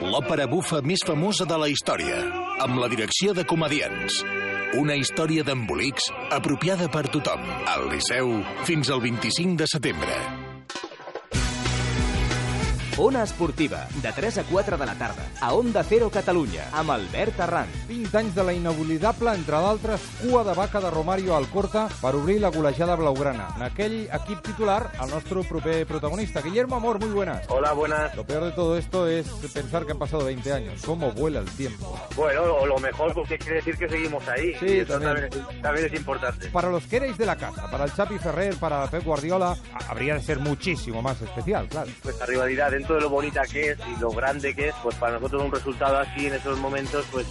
L'òpera bufa més famosa de la història, amb la direcció de comediants. Una història d'embolics apropiada per tothom. Al Liceu fins al 25 de setembre. Ona Esportiva, de 3 a 4 de la tarda, a Onda Cero Catalunya, amb Albert Arran. 20 anys de la inoblidable, entre d'altres, cua de vaca de Romario Alcorta per obrir la golejada blaugrana. En aquell equip titular, el nuestro proper protagonista. Guillermo Amor, muy buenas. Hola, buenas. Lo peor de todo esto es pensar que han pasado 20 años. ¿Cómo vuela el tiempo? Bueno, o lo mejor, porque quiere decir que seguimos ahí. Sí, y eso también es importante. Para los que erais de la casa, para el Xavi Ferrer, para Pep Guardiola, habría de ser muchísimo más especial, claro. Pues la rivalidad, dentro de lo bonita que es y lo grande que es, pues para nosotros un resultado así en esos momentos pues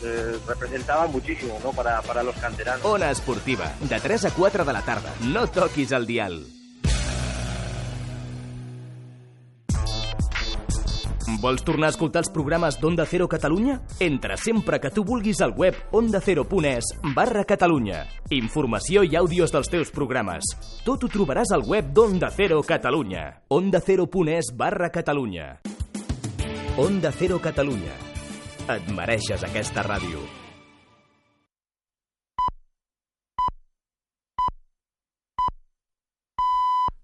representaba muchísimo, ¿no? Para los canteranos. Ona Esportiva, de 3 a 4 de la tarda. No toquis el dial. Vols tornar a escoltar els programes d'Onda Cero Catalunya? Entra sempre que tu vulguis al web ondacero.es/Catalunya. Informació i àudios dels teus programes. Tot ho trobaràs al web d'Onda Cero Catalunya. ondacero.es/Catalunya. Onda Cero Catalunya. Et mereixes aquesta ràdio.